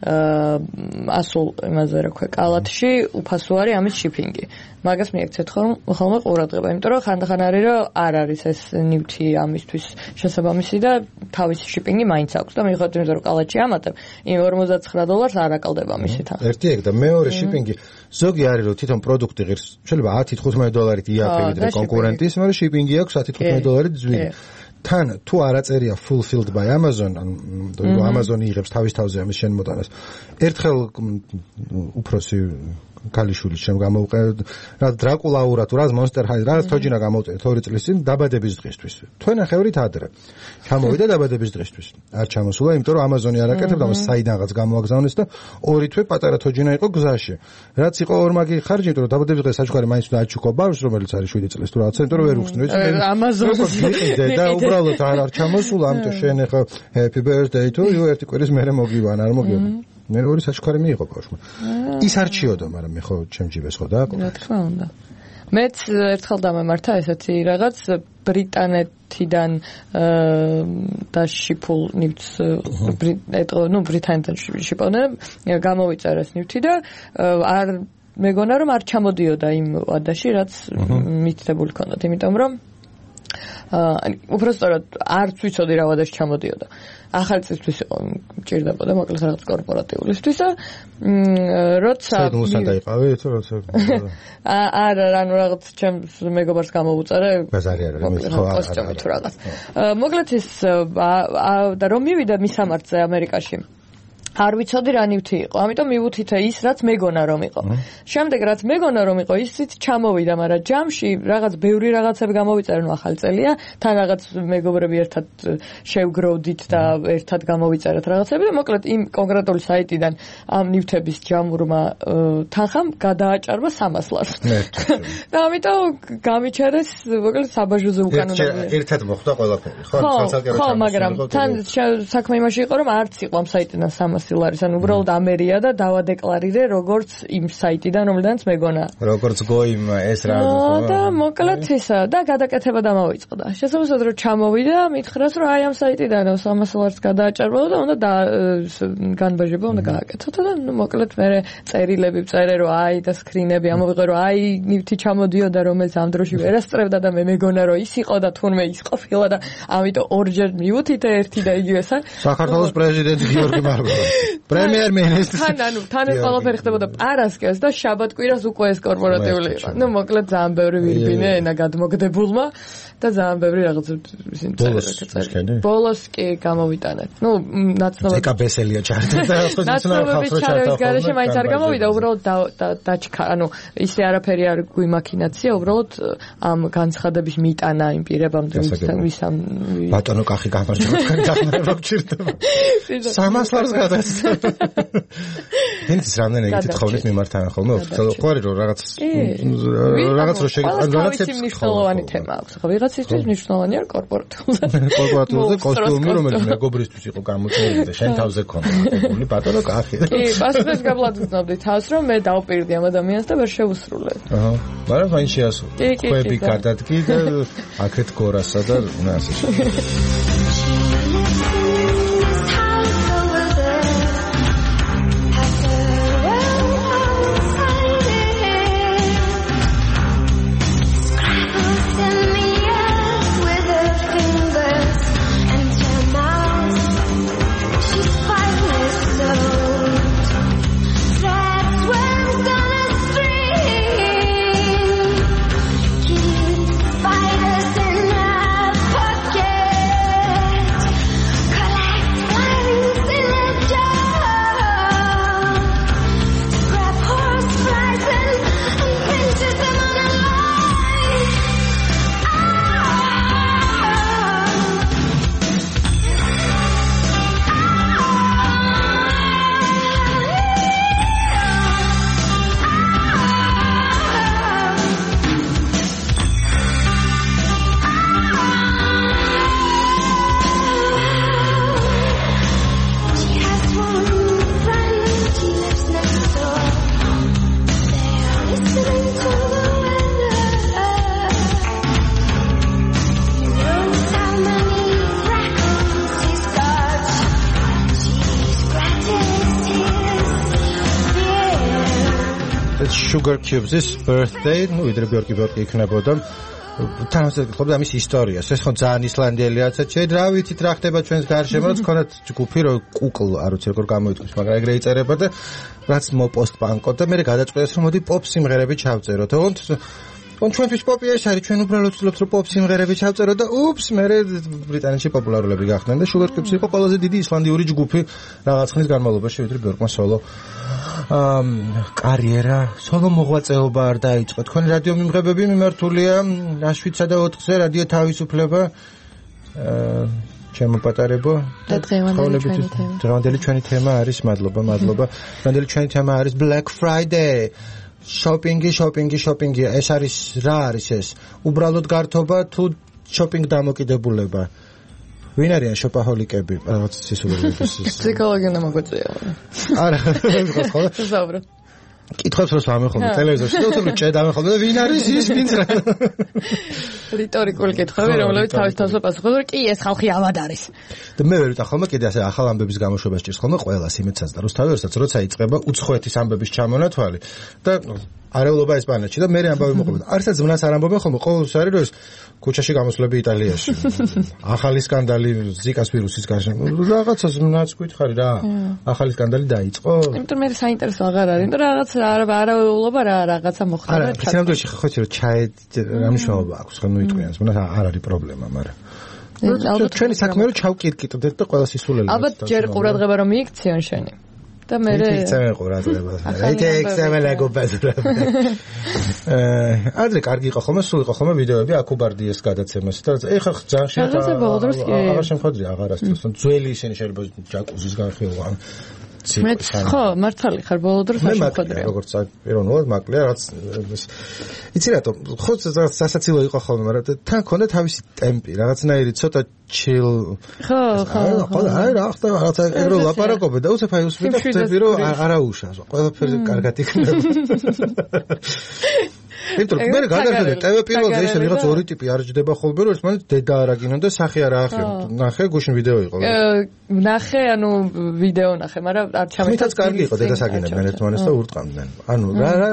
S3: ასულ იმაზე რა ქვია კალათში უფასო არის ამის შიპინგი მაგას მიექცეთ ხოლმე ყურადღება იმიტომ რომ ხანდახან არის რომ არ არის ეს ნივთი ამისთვის შესაბამისი და თავისი შიპინგი მაინც აქვს და მიუხედავად იმისა რომ კალათში ამატებ იმ $49 არ აკლდება მისი თანხა
S1: ერთი ეგ და მეორე შიპინგი ზოგი არის რომ თვითონ პროდუქტი ღირს შეიძლება $10-15 იაფი ვიდრე კონკურენტის მაგრამ შიპინგი აქვს $10-15 ძვირი თან თუ არ აწერია fulfilled by Amazon ანუ Amazon იღებს თავის თავზე ამის შემოტანას ერთხელ უფროსი კალიშული შემ გამოვყე რა დრაკულაურა თუ რა მონსტერ ჰაი რა თოჯინა გამოვწერე 2 წლის წინ დაბადების დღისთვის თქვენახევრით ადრე ჩამოვიდა დაბადების დღისთვის არ ჩამოსულა იმიტომ რომ Amazon-ი არ აკეთებდა მას საიდანღაც გამოაგზავნეს და 2 თვე პატარა თოჯინა იყო გზაში რაც იყო ორმაგი ხარჯი იმიტომ რომ დაბადების დღეს საჩუქარი მაინც უნდა აჩუქო ბავშვს რომელიც არის 7 წლის თუ რაღაცა იმიტომ რომ ვერ უხსნე
S3: Amazon-ი
S1: და უბრალოდ არ ჩამოსულა ამიტომ შენ ახლა happy birthday to you ერთი კვირის მერე მოგივან არ მოგივან მე ორი საჩუქარი მიიღო ბავშვმა ის არჩიოდა მაგრამ მე ხო ჩემჯიბეს ხო დააკვირდა
S3: რა თქმა უნდა მეც ერთხელ დამემართა ესეთი რაღაც ბრიტანეთიდან დაშიფულ ნივთს ბრიტანეთიდან შიპონე გამოვიწერა ეს ნივთი და არ მეგონა რომ არ ჩამოდიოდა იმ ვადაში რაც მითითებული ქონდათ იმიტომ რომ უბრალოდ არც ვიცოდი რა ვადაში ჩამოდიოდა ახალი წისთვის იყო მჭირდებოდა მოკლედ რაღაც კორპორატიულისთვის და როცა
S1: საიდუმლოსთან დაიყავი თუ როცა
S3: არა ანუ რაღაც ჩემს მეგობარს გამოვუწერე
S1: ბაზარი არა ხო
S3: კოსტიუმი თუ რაღაც მოკლედ ის და რომ მივიდა მისამართზე ამერიკაში არ ვიცოდი რა ნივთი იყო. ამიტომ მივუთითე ის, რაც მეგონა რომ იყო. შემდეგ რაც მეგონა რომ იყო, ისიც ჩამოვიდა, მაგრამ ჯამში რაღაც ბევრი რაღაცები გამოვიწერე, ნუ ახალი წელია, თან რაღაც მეგობრები ერთად შევგროვდით და ერთად გამოვიწერეთ რაღაცები და მოკლედ იმ კონკრეტული საიტიდან ამ ნივთების ჯამურმა თანხამ გადააჭარბა 300 ლარს. და ამიტომ გამიჩერეს, მოკლედ საბაჟოზე უკანონოა.
S1: ერთად მოხდა ყველაფერი, ხო?
S3: ხო, მაგრამ თან საქმე იმაში იყო, რომ არც იყო ამ საიტიდან 300 ლარის, ანუ უბრალოდ ამერია და დავადეკლარირე როგორც იმ საიტიდან, რომელდანაც მეგონა.
S1: როგორც გოიმ ეს რა
S3: და მოკლედ ისა და გადაკეთება დამოიწყდა. შესაძლოა რომ ჩამოვიდა, მითხრას რომ აი ამ საიტიდან 300 ლარს გადააჭარბა და უნდა განბაჟება უნდა გააკეთო და ნუ მოკლედ მე წერილები ვწერე რომ აი და სკრინები ამოვიღე რომ აი ნივთი ჩამოდიოდა რომელიც ამ დროში ვერასწრებდა და მე მეგონა რომ ის იყო და თუნმე ის ყოფილა და ამიტომ ორჯერ მივუთითე ერთი და იგივესა.
S1: საქართველოს პრეზიდენტი გიორგი მარგოლა. პრემიერ-მინისტრი.
S3: თან ეს ყველაფერი ხდებოდა პარასკევს და შაბათ-კვირას უკვე ეს კორპორატიული იყო. ნუ მოკლედ ძალიან ბევრი ვირბინე ენა გადმოგდებულმა და ძალიან ბევრი რაღაც ისინი წერილები. ბოლოს კი გამოვიტანეთ. ნუ ნაცნობად
S1: ეკაბესელია ჩარდა და
S3: ნაცნობები ჩარევის გარეშე მაინც არ გამოვიდა, უბრალოდ დაჩქა, ანუ ისე არაფერი არ გვიმაქინაცია, უბრალოდ ამ განცხადების მიტანა იმ პირებამდე ვისამ
S1: ბატონო კახი გამარჯობა, თქვენი დახმარება გჭირდება. 300 ლარს გადასცა. ის რამდენი თითხოვნის მიმართავენ ხოლმე ოფიციალურად ყვარი რომ რაღაც რო რაღაცებს
S3: მნიშვნელოვანი თემა აქვს. ხო ვიღაცისთვის მნიშვნელოვანი არ კორპორატიულზე.
S1: კორპორატიულზე კოსტიუმი რომელიც მეგობრისთვის იყო გამოწვეული და შენ თავზე ქონდა მოგებული ბატონო კახი.
S3: კი, პასუხს გავლაძვნობდი თავს რომ მე დავპირდი ამ ადამიანს და ვერ შევუსრულე.
S1: აჰა. მაგრამ მაინც შეასრულე. ხვები გადადგი და აქეთ გორასა და ასე შემდეგ. Sugar Cubes' birthday, ну, ვიდრე ბიორკი იქნებოდა. თანამშრომლობ გქონდა ამის ისტორიას. ეს ხო ძალიან ისლანდიელიაცა. ჩვენ რა ვიცით რა ხდება ჩვენს გარშემო, რაც ქონათ ჯგუფი რო კუკლ, არ ვიცი როგორ გამოიწვის, მაგრამ ეგრე იწერება და რაც მოპოსტ-პანკო და მე გადაწყვეტეს რომ მოდი პოპ სიმღერები ჩავწეროთ. თუმცა ჩვენთვის პოპი ეს არის, ჩვენ უბრალოდ ვცდილობთ რომ პოპ სიმღერები ჩავწეროთ და უპს, მე ბრიტანეთში პოპულარულები გახდნენ და Sugar Cubes იყო ყველაზე დიდი ისლანდიური ჯგუფი რაღაც ხნის განმავლობაში, ვიდრე ბიორკმა სოლო კარიერა, სოლო მოღვაწეობა არ დაიწყო. თქვენი რადიო მიმღებები მიმართულია აშვიცა და 4-ზე რადიო თავისუფლება. ჩემო პატარებო
S3: და
S1: დღევანდელი ჩვენი თემა არის, მადლობა. დღევანდელი ჩვენი თემა არის Black Friday. Shopping. ეს არის რა არის ეს? უბრალოდ გართობა თუ shopping დამოკიდებულება? ვინ არიან შოპაჰოლიკები? რაღაც სისულელების.
S3: ფსიქოლოგია მოგვიწია.
S1: არა, ხო?
S3: ზაუბრობ.
S1: კითხავს როს ამეხოლმე ტელევიზორში და უცებ ჭედ ამეხოლმე და ვინ არის ის ვინც რა?
S3: რიტორიკული კითხვები, რომლებიც თავის პასუხობს, რომ კი ეს ხალხი ამად არის.
S1: და მე ვერ ვიტყვი ხოლმე კიდე ასე ახალ ამბების გამოშვებას ჭირს ხოლმე ყველას იმედსაც და რუსთავი როცა იწყება უცხოეთის ამბების ჩამონათვალი და არეულობა ესპანეთში და მე ამბავი მოყვება. არცაც ზმნას არ ამბობენ ხოლმე, ყოველთვის არის რომ ეს ქუჩაში გამოსვლები იტალიაში. ახალი სკანდალი ზიკას ვირუსის გარშემო. რაღაცა ზმნაც გითხარი რა. ახალი სკანდალი დაიწყო.
S3: იმიტომ მე საინტერესო აღარ არის. იმიტომ რაღაც არეულობა რაღაცა მოხდა.
S1: არა, ფსიქოლოგიაში ხო ხო ჩაი რა მნიშვნელობა აქვს ხო ნუ იტყვიან. ზმნას არ არის პრობლემა, მაგრამ ჩვენი საქმე რომ ჩავკირკიტდეთ და ყველა სისულელი.
S3: ალბათ ჯერ ყურადღება რომ მიიქციონ შენი. და მე
S1: იქცემენ ყურადღება. იქცემენ ლაგობაზრა. ადრე კარგი იყო ხოლმე, სულ იყო ხოლმე ვიდეოები აკუბარდიეს გადაცემას და ეხლა ძალიან შეიძლება აღარ შემხედრია აღარასდროს. ძველი ისინი შეიძლება ჯაკუზის განხილვა.
S3: მე ხო მართალი ხარ ბოლო დროს არ შეხვედრია
S1: როგორც პიროვნულად მაკლია რაც იცი რატომ ხო სასაცილო იყო ხოლმე მაგრამ თან ქონდა თავისი ტემპი რაღაცნაირი ცოტა chill
S3: ხო
S1: აი რა ხდება რაღაცა ეგრო ლაპარაკობე და უცებ აი უსმენ და ხდები რომ არაუშავს ყველაფერზე კარგად იქნება იმიტომ რომ მე გადაგხედე ტევ პირველზე ისე რაღაც ორი ტიპი არ ჯდება ხოლმე რომ ერთმანეთ დედა არაგინონ და სახე არა ახიო ნახე გუშინ ვიდეო იყო
S3: ნახე ანუ ვიდეო ნახე მაგრამ არ ჩამეწა
S1: მითაც კარგი იყო დედას აგინებდნენ ერთმანეთს და ურტყამდნენ ანუ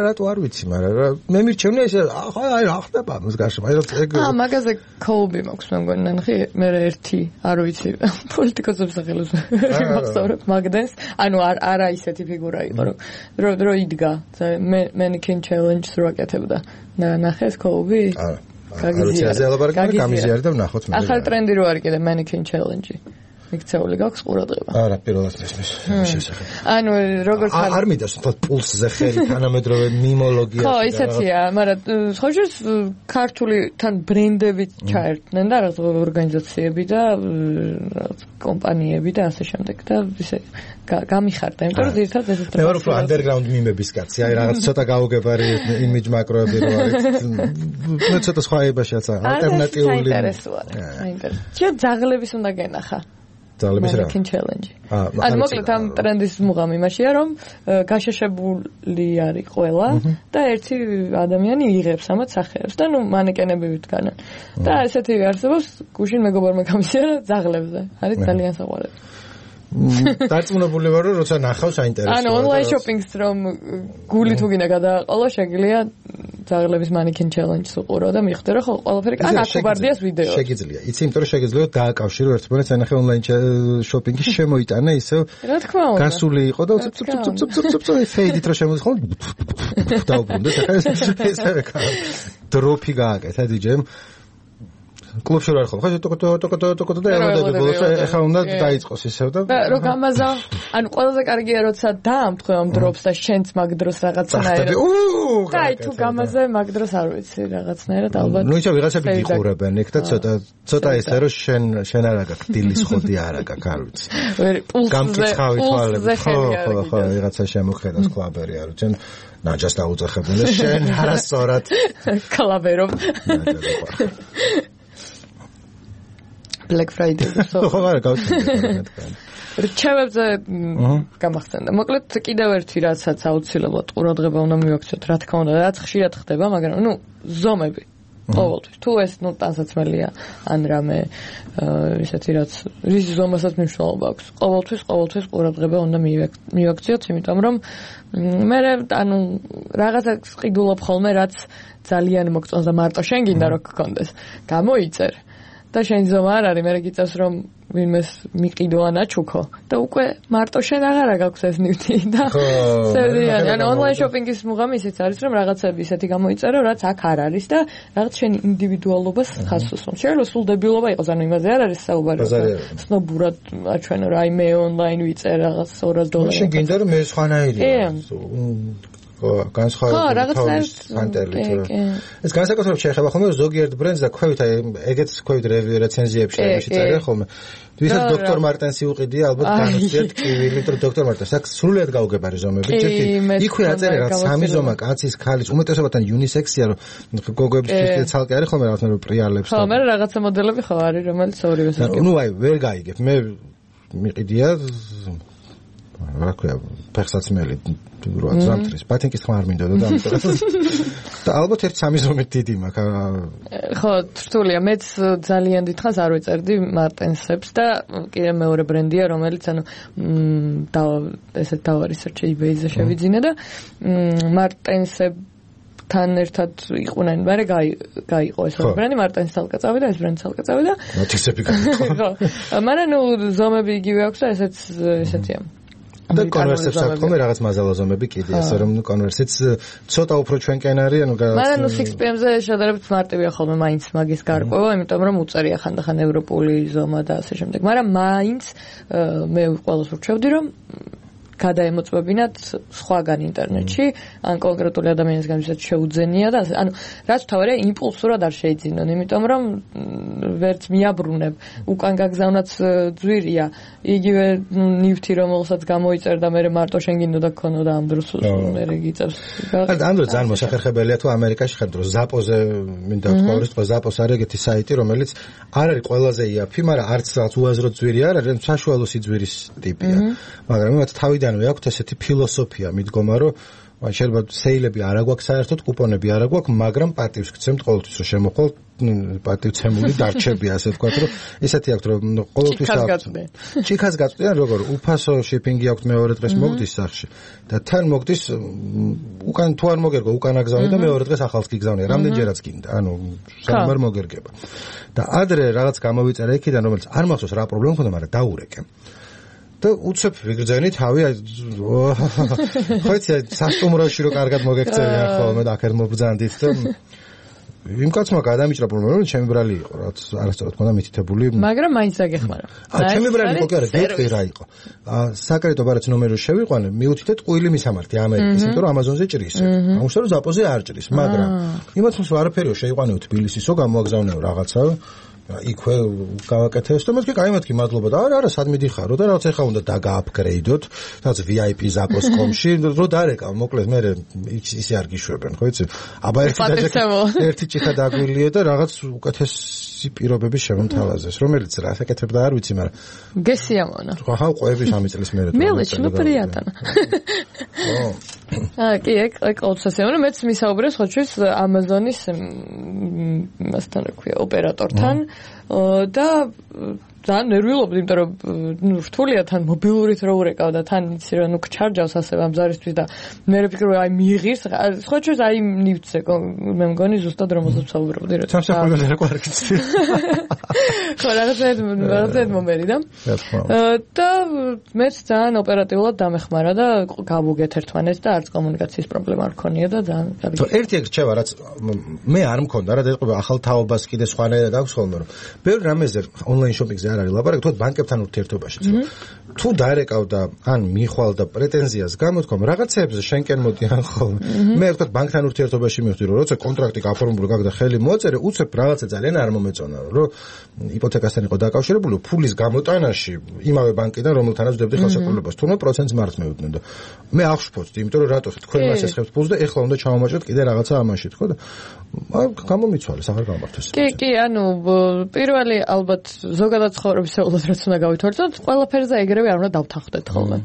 S1: რატო არ ვიცი მაგრამ მე მირჩევნია ისე აი რა ხდება მსგავსი აი ეგ
S3: მაგაზე კოუბი მაქვს მე მგონი ნახე მე ერთი არ ვიცი პოლიტიკოსებს სახელოს მახსოვრებ მაგდენს ანუ არა ისეთი ფიგურა იყო რომ იდგა mannequin challenge-ს რო აკეთებდა ნახეს კოუბი
S1: გამიზიარი და ვნახოთ
S3: მე ახალ ტრენდი რო არის კიდე mannequin challenge-ი იქცეული გაქვს ყურადღება
S1: არა პირველად ისმის შესახებ
S3: ანუ როგორც
S1: არ მინდას თქო პულსზე ხელი თანამედროვე მიმოლოგია
S3: ხო ისეთია მაგრამ ხოჯოს ქართული თან ბრენდები ჩაერთნენ და რაღაც ორგანიზაციები და კომპანიები და ასე შემდეგ და ისე გამიხარდა იმიტომ რომ ერთად ეს
S1: მე ვარ უფრო underground მიმების კაცი აი რაღაც ცოტა გაუგებარი იმიჯ მაკროები რო არის მე ცოტა სხვა ებაშიაც ალტერნატიული
S3: აინტერესებს ძაღლების უნდა გენახა
S1: ძალების რა
S3: challenge. ან მოკლედ ამ ტრენდის მუღამი იმაშია რომ გაშეშებული არის ყველა და ერთი ადამიანი იღებს ამათ სახეებს და ნუ მანეკენები ვიდგანან. და ესეთი არსებობს გუშინ მეგობარმა გამისიერა ძაღლებზე. არის ძალიან საყვარელი.
S1: დარწმუნებული ვარ რომ როცა ნახავს აინტერესებს.
S3: ანუ online shopping-ს რომ გული თუ გინდა გადააყოლო შეგიძლია ძაღლების mannequin challenge-ს უყურო და მიხვდე რომ ხო ყველაფერი ან აკუბარდიას ვიდეო.
S1: შეგიძლია. იცი იმიტომ რომ შეგიძლია დააკავშირო ერთმანეთს ანახე online shopping-ი შემოიტანა ისე.
S3: რა თქმა უნდა.
S1: გასული იყო და ცუცუცუცუცუცუ ფეიდით რო შემოხვალ დაუბრუნდა ეს არა დროპი გააკეთა DJ-მ კლუბში რა ხო ხა ტოკო და ემოდები ბოლოს ეხა უნდა დაიწყოს ისევ და
S3: რო გამაზა ანუ ყველაზე კარგია როცა დაამთხო ამ დროპს და შენც მაგ დროს რაღაცნაირად და აი თუ გამაზე მაგ დროს არ ვიცი რაღაცნაირად ალბათ
S1: ნუ იცი ვიღაცები გიყურებენ იქ და ცოტა ესე რომ შენ არა გაქვს დილის ხოდი არა გაქვს არ ვიცი გამკითხავი თვალები ხო ვიღაცა შემოხედავს კლაბერი არ ვიცი ნაჯას დაუძახებენ და შენ არასწორად
S3: კლაბერობ Black Friday.
S1: ხო არა გავწევთ.
S3: რჩევებზე გამახსენდა. მოკლედ კიდევ ერთი რაცაც აუცილებლად ყურადღება უნდა მივაქციოთ, რა თქმა უნდა, რაც ხშირად ხდება, მაგრამ ნუ ზომები. ყოველთვის. თუ ეს ნუ ტანსაცმელია ან რამე ისეთი რაც რის ზომასაც მნიშვნელობა აქვს. ყოველთვის ყურადღება უნდა მივაქციოთ, იმიტომ რომ მე ანუ რაღაცა ყიდულობ ხოლმე, რაც ძალიან მოგწონს და მარტო შენ გინდა რომ გქონდეს. გამოიწერ. და შენ ზომა არ არის, მე გიწევს რომ ვინმეს მიყიდო ან აჩუქო და უკვე მარტო შენ აღარა გაქვს ეს ნივთი და სერვიანი ან online shopping-ის მუღამი ისიც არის რომ რაღაცები ისეთი გამოიწერო რაც აქ არ არის და რაღაც შენ ინდივიდუალობას ხაზს უსვამს. შეიძლება სულ დებილობა იყოს, ანუ იმაზე არ არის საუბარი. სნობურად აჩვენო რა აი მე online ვიწერ რაღაც $200.
S1: შენ გინდა რომ მე სხვანაირია. განსხვავებული ფანტელი თუ ეს განსაკუთრებით შეეხება ხოლმე ზოგიერთ ბრენდს და ქვევით აი ეგეც ქვევით რეცენზიებში წერია ხოლმე ვისაც დოქტორ მარტენსი უყიდია ალბათ განსხვავებით კივილი თუ დოქტორ მარტენს აქ სრულიად გაუგებარი ზომები ჯერ იქვე აწერე რა სამი ზომა კაცის ქალის უმეტესობათან unisex-ია რომ გოგოების თვითონ ცალკე არის ხოლმე რაღაცნაირ პრიალებს
S3: ხო მე რაღაცა მოდელები ხო არის რომელიც ორივეს არის
S1: ნუ აი ვერ გაიგებ მე მიყიდია რა ქვია ფეხსაცმელი რო აცამთრის პატინკის ხმა არ მინდოდა და ამიტომ და ალბათ ერთ სამი ზომით დიდი მაქვს
S3: ხო რთულია მეც ძალიან დიდხანს არ ვეწერდი მარტენსებს და კიდე მეორე ბრენდია რომელიც ანუ ესეთ დავარისერჩე eBay-ზე შევიძინე და მარტენსებთან ერთად იყვნენ მაგრამ გაიყო ეს ბრენდი მარტენს თალკა წავიდა ეს ბრენდი თალკა წავიდა
S1: ნოთისები გაიყო
S3: ხო მაგრამ ნუ ზომები იგივე აქვს და ესეთია
S1: და კონვერსებს აქვს ხოლმე რაღაც მაზალაზომები კიდე ასე რომ კონვერსიც ცოტა უფრო ჩვენკენ არის ანუ
S3: მაგრამ 6PM-ზე შედარებით მარტივია ხოლმე მაინც მაგის გარკვევა იმიტომ რომ უწერია ხანდახან ევროპული ზომა და ასე შემდეგ მაგრამ მაინც მე ყველას ვრჩევდი რომ გადაემოწმებინათ სხვაგან ინტერნეტში ან კონკრეტული ადამიანისგან ვისაც შეუძენია და ანუ რაც თავარია იმპულსურად არ შეიძინონ იმიტომ რომ ვერც მიაბრუნებ უკან გაგზავნაც ძვირია იგივე ნივთი რომელსაც გამოიწერ და მე მარტო შენ გინდოდა გქონოდა ამ დროს მე გიწევს
S1: ამ დროს ძალიან მოსახერხებელია თუ ამერიკაში ხარ დროს ზაპოზე მინდა ვთქვა რომ ზაპოს არის ეგეთი საიტი რომელიც არ არის ყველაზე იაფი მაგრამ არც რაღაც უაზრო ძვირი არ არის საშუალო სიძვირის ტიპია მაგრამ მათ თავიდან აქვს ესეთი ფილოსოფია მიდგომა რომ შეიძლება სეილები არ აგვაქვს საერთოდ კუპონები არ აგვაქვს მაგრამ პატივს გცემთ ყოველთვის რომ შემოხვალ პატივცემული დარჩები ასე ვთქვათ რომ ესეთი აქვს რომ ყოველთვის ჭიქას გაწვდიან როგორ უფასო შიპინგი აქვს მეორე დღეს მოგდის სახში და თან მოგდის უკან თუ არ მოგერგო უკან აგზავნე და მეორე დღეს ახალს გიგზავნე რამდენჯერაც გინდა ანუ სამარ მოგერგება და ადრე რაღაც გამოვიწერე იქიდან რომელიც არ მახსოვს რა პრობლემა მქონდა მაგრამ დაურეკე და უცებ ვიგრძენი თავი ხო იცი სასტუმროში რო კარგად მოგექცევიან ხოლმე და აქეთ მობრძანდით და იმ კაცმა გადამიჭრა პრობლემა რომ ჩემი ბრალი იყო რაც არასწორად მქონდა მითითებული
S3: მაგრამ მაინც დაგეხმარა
S1: ჩემი ბრალი იყო კი არა გეტყვი რა იყო საკრედიტო ბარათი ნომერი შევიყვანე მიუთითეთ ყუილი მისამართი ამერიკის იმიტომ რომ ამაზონზე ჭრის ამუშავე რომ ზაპოზე არ ჭრის მაგრამ იმათ რომ არაფერიო შეიყვანეო თბილისისო გამოაგზავნეო რაღაცა იქვე გავაკეთეს და მეთქი კაი მეთქი მადლობა და არა სად მიდიხარო და რაღაც ეხა უნდა დაგააპგრეიდოთ რაღაც VIP Zapos.com-ში რო დარეკავ მოკლედ მე ისე არ გიშვებენ ხო იცი აბა ერთი ჭიქა დაგვილიე და რაღაც უკეთესი პირობები შემომთავაზეს რომელიც რა საკეთებდა არ ვიცი მაგრამ
S3: გესიამონა
S1: ხა ყვები სამი წლის მერე
S3: მელეჩ პრიატანა კი ეგ ყოველსასეამო მეც მისაუბრე ხოჩვის Amazon-ის მასთან რა ქვია ოპერატორთან და ძალიან ნერვიულობდი, იმიტომ რომ რთულია თან მობილურით რო ურეკავ და თან იცი რომ ჩარჯავს ასე ამ ზარისთვის და მე ვფიქრობ აი მიიღირს სხვა ჩვენ აი ნივთზე მე მგონი ზუსტად რომელსაც ვსაუბრობდი რა
S1: სამსახურზე რა ყარკიცი
S3: ხო რაღაცა მომერიდა და მეც ძალიან ოპერატიულად დამეხმარა და გავუგეთ ერთმანეთს და არც კომუნიკაციის პრობლემა არ ქონია და ძალიან
S1: ერთი ეგ რჩევა რაც მე არ მქონდა რა დაიწყება ახალ თაობას კიდე სხვანაირად აქვს ხოლმე რომ ბევრ რამეზე ონლაინ შოპინგზე არ არის ლაპარაკი თუ ბანკებთან ურთიერთობაშიც თუ დაერეკავ და ან მიხვალ და პრეტენზიას გამოთქომ რაღაცეებზე შენკენ მოდიან ხოლმე მე ვთქვათ ბანკთან ურთიერთობაში მივხვდი რომ როცა კონტრაქტი გაფორმებული გაგდა ხელი მოაწერე უცებ რაღაცა ძალიან არ მომეწონა რომ იპოთეკასთან იყო დაკავშირებული ფულის გამოტანაში იმავე ბანკიდან რომელთანაც ვდებდი ხელშეკრულებას თუნდაც პროცენტს მარცხ მევიდნენ და მე აღშფოთდი იმიტომ რომ რატო თქვენ მას ესხებთ ფულს და ეხლა უნდა ჩავამაჭროთ კიდე რაღაცა ამაში თქო და გამომიცვალეს აღარ გამართეს
S3: კი ანუ პირველი ალბათ ზოგადად ცხოვრებისეულად რაც უნდა გავითვალისწინოთ ყველაფერზე ეგრევე არ უნდა დავთანხმდეთ ხოლმე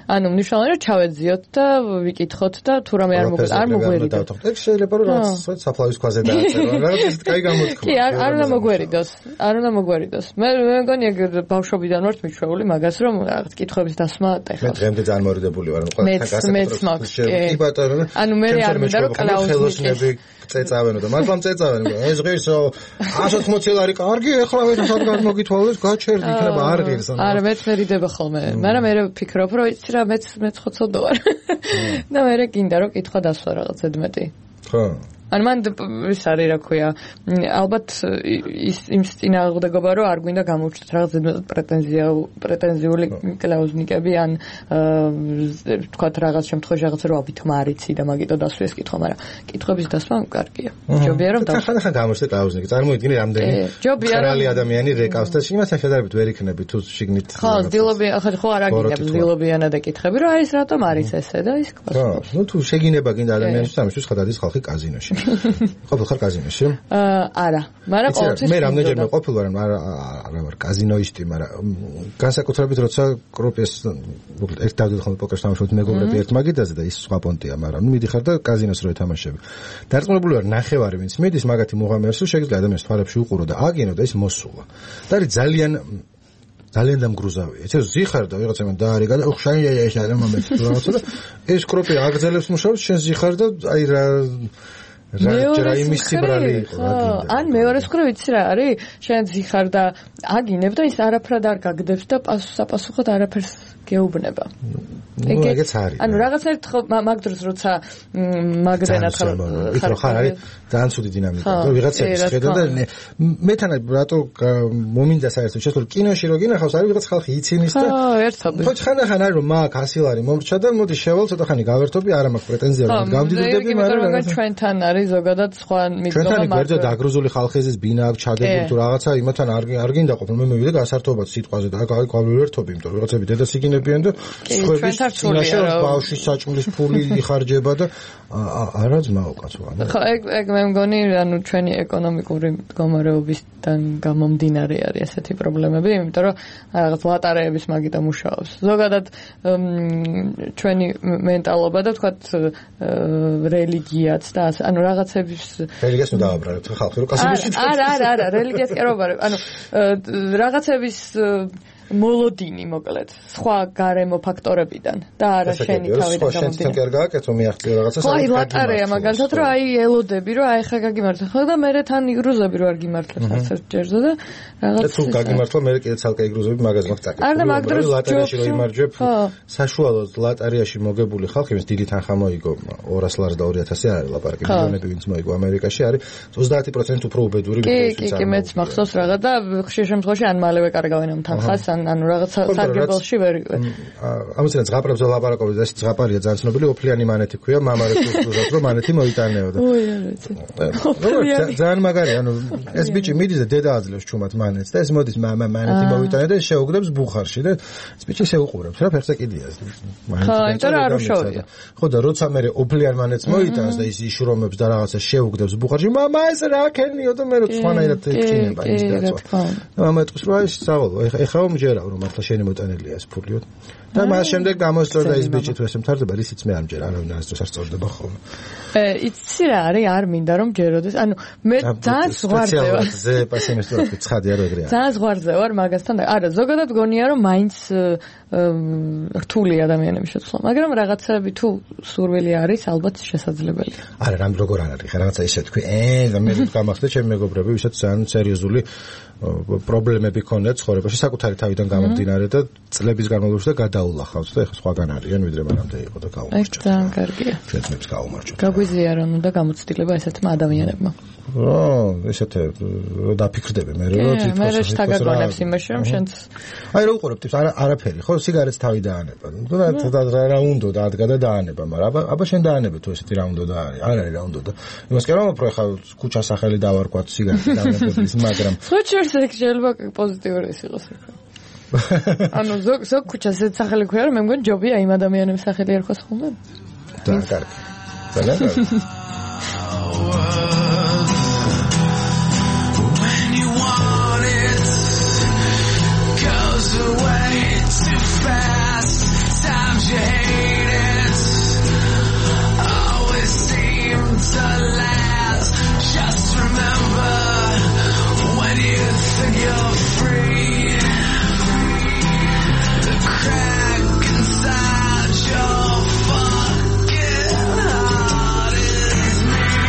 S3: ანუ მნიშვნელოვანია რომ ჩავეძიოთ და ვიკითხოთ და თუ რამე არ მოგვერიდოს
S1: ეგ შეიძლება რომ რაღაც საფლავის ქვაზე დააწერო რაღაც ისეთ კაი გამოთქმა
S3: კი არ უნდა მოგვერიდოს მე მგონი ეგ ბავშვობიდან ვარ მიჩვეული მაგას რომ რაღაც კითხვების დასმა ტეხავს
S1: მე დღემდე ძალიან მორიდებული ვარ
S3: ყველაფერთან გასაკუთრებით კი ბატონო ანუ მე არ მინდა რომ კლაუსნები
S1: წეწავენო და მაგრამ წეწავენ ეს ღირსო 180 ლარი კარგი ეხლა ვეცად გამოგითვალეს გაჩერდი იქნება არ ღირს
S3: არა მეც მერიდება ხოლმე მაგრამ მე ვფიქრობ რომ იცი რა მეც ხოცოდო ვარ და მე გინდა რომ კითხვა დასვა რაღაც ზედმეტი
S1: ხო
S3: ან მან ის არის რა ქვია ალბათ იმ წინააღმდეგობა რომ არ გვინდა გამოვჩნდეთ რაღაც პრეტენზიული კლაუზნიკები ან თქვათ რაღაც შემთხვევაში რაღაცა რომ აბითმა არიცი და მაგიტო დასვეს კითხვა მაგრამ კითხების დასმა კარგია ჯობია რომ
S1: ხან გამოსე კლაუზნიკი წარმოიდგინე რამდენი ხრალი ადამიანი რეკავს და იმასთან შედარებით ვერ იქნები თუ შიგნით
S3: ხო დილობი ხო არ აგინებს დილობიანად ეკითხები რომ აი ეს რატომ არის ესე და ის
S1: ხო ნუ თუ შეგინება გინდა ადამიანისთვის ამისთვის ხადადის ხალხი კაზინოში ყოფილ ხარ კაზინოში?
S3: არა, მაგრამ ყოველთვის
S1: მე რამდენჯერმე ყოფილ ვარ, არა ვარ კაზინოისტი, მაგრამ განსაკუთრებით როცა კროპიეს ერთ დავდივარ ხოლმე პოკერს თამაშობთ მეგობრები ერთ მაგიდაზე და ის სხვა პონტია, მაგრამ მიდიხარ და კაზინოს რო ეთამაშები. დარწმუნებული ვარ ნახევარი ვინც მიდის მაგათი მუღამერს შეიძლება ადამიანს თვალებში უყურო და აგინო და ის მოსულა. და არის ძალიან დამგრუზავია. ეს ზიხარ და ვიღაცა მან დაარიგა და ხშაია ეს არა მომეც რაღაცა და ეს კროპი აგზელებს მუშაობს შენ ზიხარ და აი რა რა იმის ციბრალი იყო რა გინდა
S3: ან მეორე მხრივ იცი რა არის შენ ზიხარ და აგინებ და ის არაფრად არ გაგდებს და საპასუხოდ არაფერს გეუბნება
S1: ეგეც არის
S3: ანუ რაღაცა მაგ დროს როცა მაგდენად
S1: ხარ არის ძალიან ცუდი დინამიკა და ვიღაცების ხედა და მეთან რატო მომინდა საერთოდ შესულ კინოში რო გინახავს არის ვიღაც ხალხი ცინის და
S3: ერთობი
S1: ხო ხან არის რომ მაგ 100 ლარი მომრჩა და მოდი შევალ ცოტა ხანი გავერთობი არა მაქვს პრეტენზია რომ გავდიდები
S3: მაგრამ ჩვენთან არის ზოგადად სხვა მიდგომა
S1: ჩვენთან გვერდზე დაგრუზული ხალხიზის ბინა აქვს ჩაგებული თუ რაღაცა იმათან არ გინდა ყოფილ მე მივიდე გასართობად სიტყვაზე და გავერთობი იმიტომ რომ ვიღაცები დედას იგინებიან და სხვების წინაშე ბავშვის საჭმლის ფული იხარჯება და არა ძმაო კაცო
S3: ხო ეგ მე მგონი ანუ ჩვენი ეკონომიკური მდგომარეობისგან გამომდინარე არის ესეთი პრობლემები იმიტომ რომ რაღაც ლატარეების მაგითა მუშაობს ზოგადად ჩვენი მენტალობა და თქვათ რელიგიაც და ანუ რაღაცების
S1: რელიგიას ნუ დავაბრალებ ხალხი რომ კასიბიში
S3: არა რელიგიას კი არ ვაბარებ ანუ რაღაცების მოლოდინი მოკლედ სხვა გარემო ფაქტორებიდან და არა შენი თავიდან
S1: გამომდინარე. შენ კი არ გააკეთო მიაღწიო რაღაცას.
S3: ხო, ლატარეა მაგალითად რომ აი ელოდები რომ აი ხა გაგიმართლა ხო და მე თან იგრუზები რომ არ გიმართლებს ასეთ ჯერზე და რაღაც
S1: თუ გაგიმართლა მე კიდე ცალკე იგრუზები მაგაზე მაქვს წაკეთებული.
S3: არა მაგ დროს
S1: ლატარიაში რომ იმარჯვებ საშუალოდ ლატარიაში მოგებული ხალხი ის დიდი თანხა მოიგო 200 ლარი და 2000 არის ლაპარაკი მილიონები ვინც მოიგო ამერიკაში არის 30% უფრო უბედური
S3: ვიდეოში. კი მეც მახსოვს რაღაც და ხშირ შემთხვევაში ან მალევე კარგავენ ამ თანხას ანუ რაღაც სარგებელში ვერ
S1: ამისგან ზღაპრებს ლაპარაკობდი და ეს ზღაპარია ძალიან ცნობილი ოფლიანი მანეთი ქვია მამა რეკრუტურას რომ მანეთი მოიტანეოდა. ძალიან მაგარი ანუ ეს ბიჭი მიდის და დედა აძლევს ჩუმად მანეთს და ეს მოდის მამა მანეთი მოიტანე და შეუგდებს ბუხარში და ეს ბიჭი შეუყურებს რა ფეხზე კიდია
S3: ხო იმიტომ რომ არ უშოვია
S1: ხო და როცა მე ოფლიან მანეთს მოიტანს და ის იშრომებს და რაღაცა შეუგდებს ბუხარში მამა ეს რა ქენიო და მე რო სხვანაირად ექინება ის დაცვა მამა ეთქვის რომ აი სწავლო ეხლა მომჯერა რომ მართლა შენი მოტანილია ეს ფულიო და მას შემდეგ გამოსწორდა ის ბიჭი თუ ესე მთავრდება ისიც მე ამჯერ არავინ არ სწორდება ხოლმე
S3: იცი რა არის არ მინდა რომ ჯეროდეს ანუ მე ძალიან ზღვარზე ვარ
S1: ზე პასიმისტურად ცხადია რომ ეგრეა
S3: ძალიან ზღვარზე ვარ მაგასთან არა ზოგადად გონია რომ მაინც რთული ადამიანების შეცვლა მაგრამ რაღაცები თუ სურვილი არის ალბათ შესაძლებელია
S1: არა რამ როგორ არ არის ხა რაღაცა ისე თქვი და მე გამახსდა ჩემი მეგობრები ვისაც ძალიან სერიოზული პრობლემები ქონდათ ცხოვრებაში საკუთარი თავიდან გამომდინარე და წლების განმავლობაში და გადაულახავთ და ეხლა სხვაგან არიან ვიდრე მანამდე იყო და გაუმარჯვეთ.
S3: ძალიან კარგია.
S1: ჩვენც გაუმარჯვეთ.
S3: გაგვიზიარონ და გამოცდილება ესეთმა ადამიანებმა.
S1: ესეთე დაფიქრდები მე რომ თვითონ
S3: მე შეგაგონებს იმაში რომ შენც
S1: აი რა უყურებ ტიპს არაფერი ხო სიგარეტს თავი დაანება და რა უნდა დადგა და დაანება მაგრამ აბა შენ დაანებე თუ ესეთი რა უნდა და არის არ არის რა უნდა და იმას კი არ მომფრო ხა ქუჩა სახელი დავარკვათ სიგარეტი დაანებების მაგრამ
S3: ხოჩერს ეგ შეიძლება პოზიტიური ის იყოს ანუ ზოგ ქუჩას ეს სახელი ქვია რომ მე მგონი ჯობია იმ ადამიანების სახელი ერქვას ხოლმე
S1: და კარგი ძალიან კარგი
S5: away too fast. Times you hate it always seem to last. Just remember when you think you're free, the crack inside your fucking heart is me.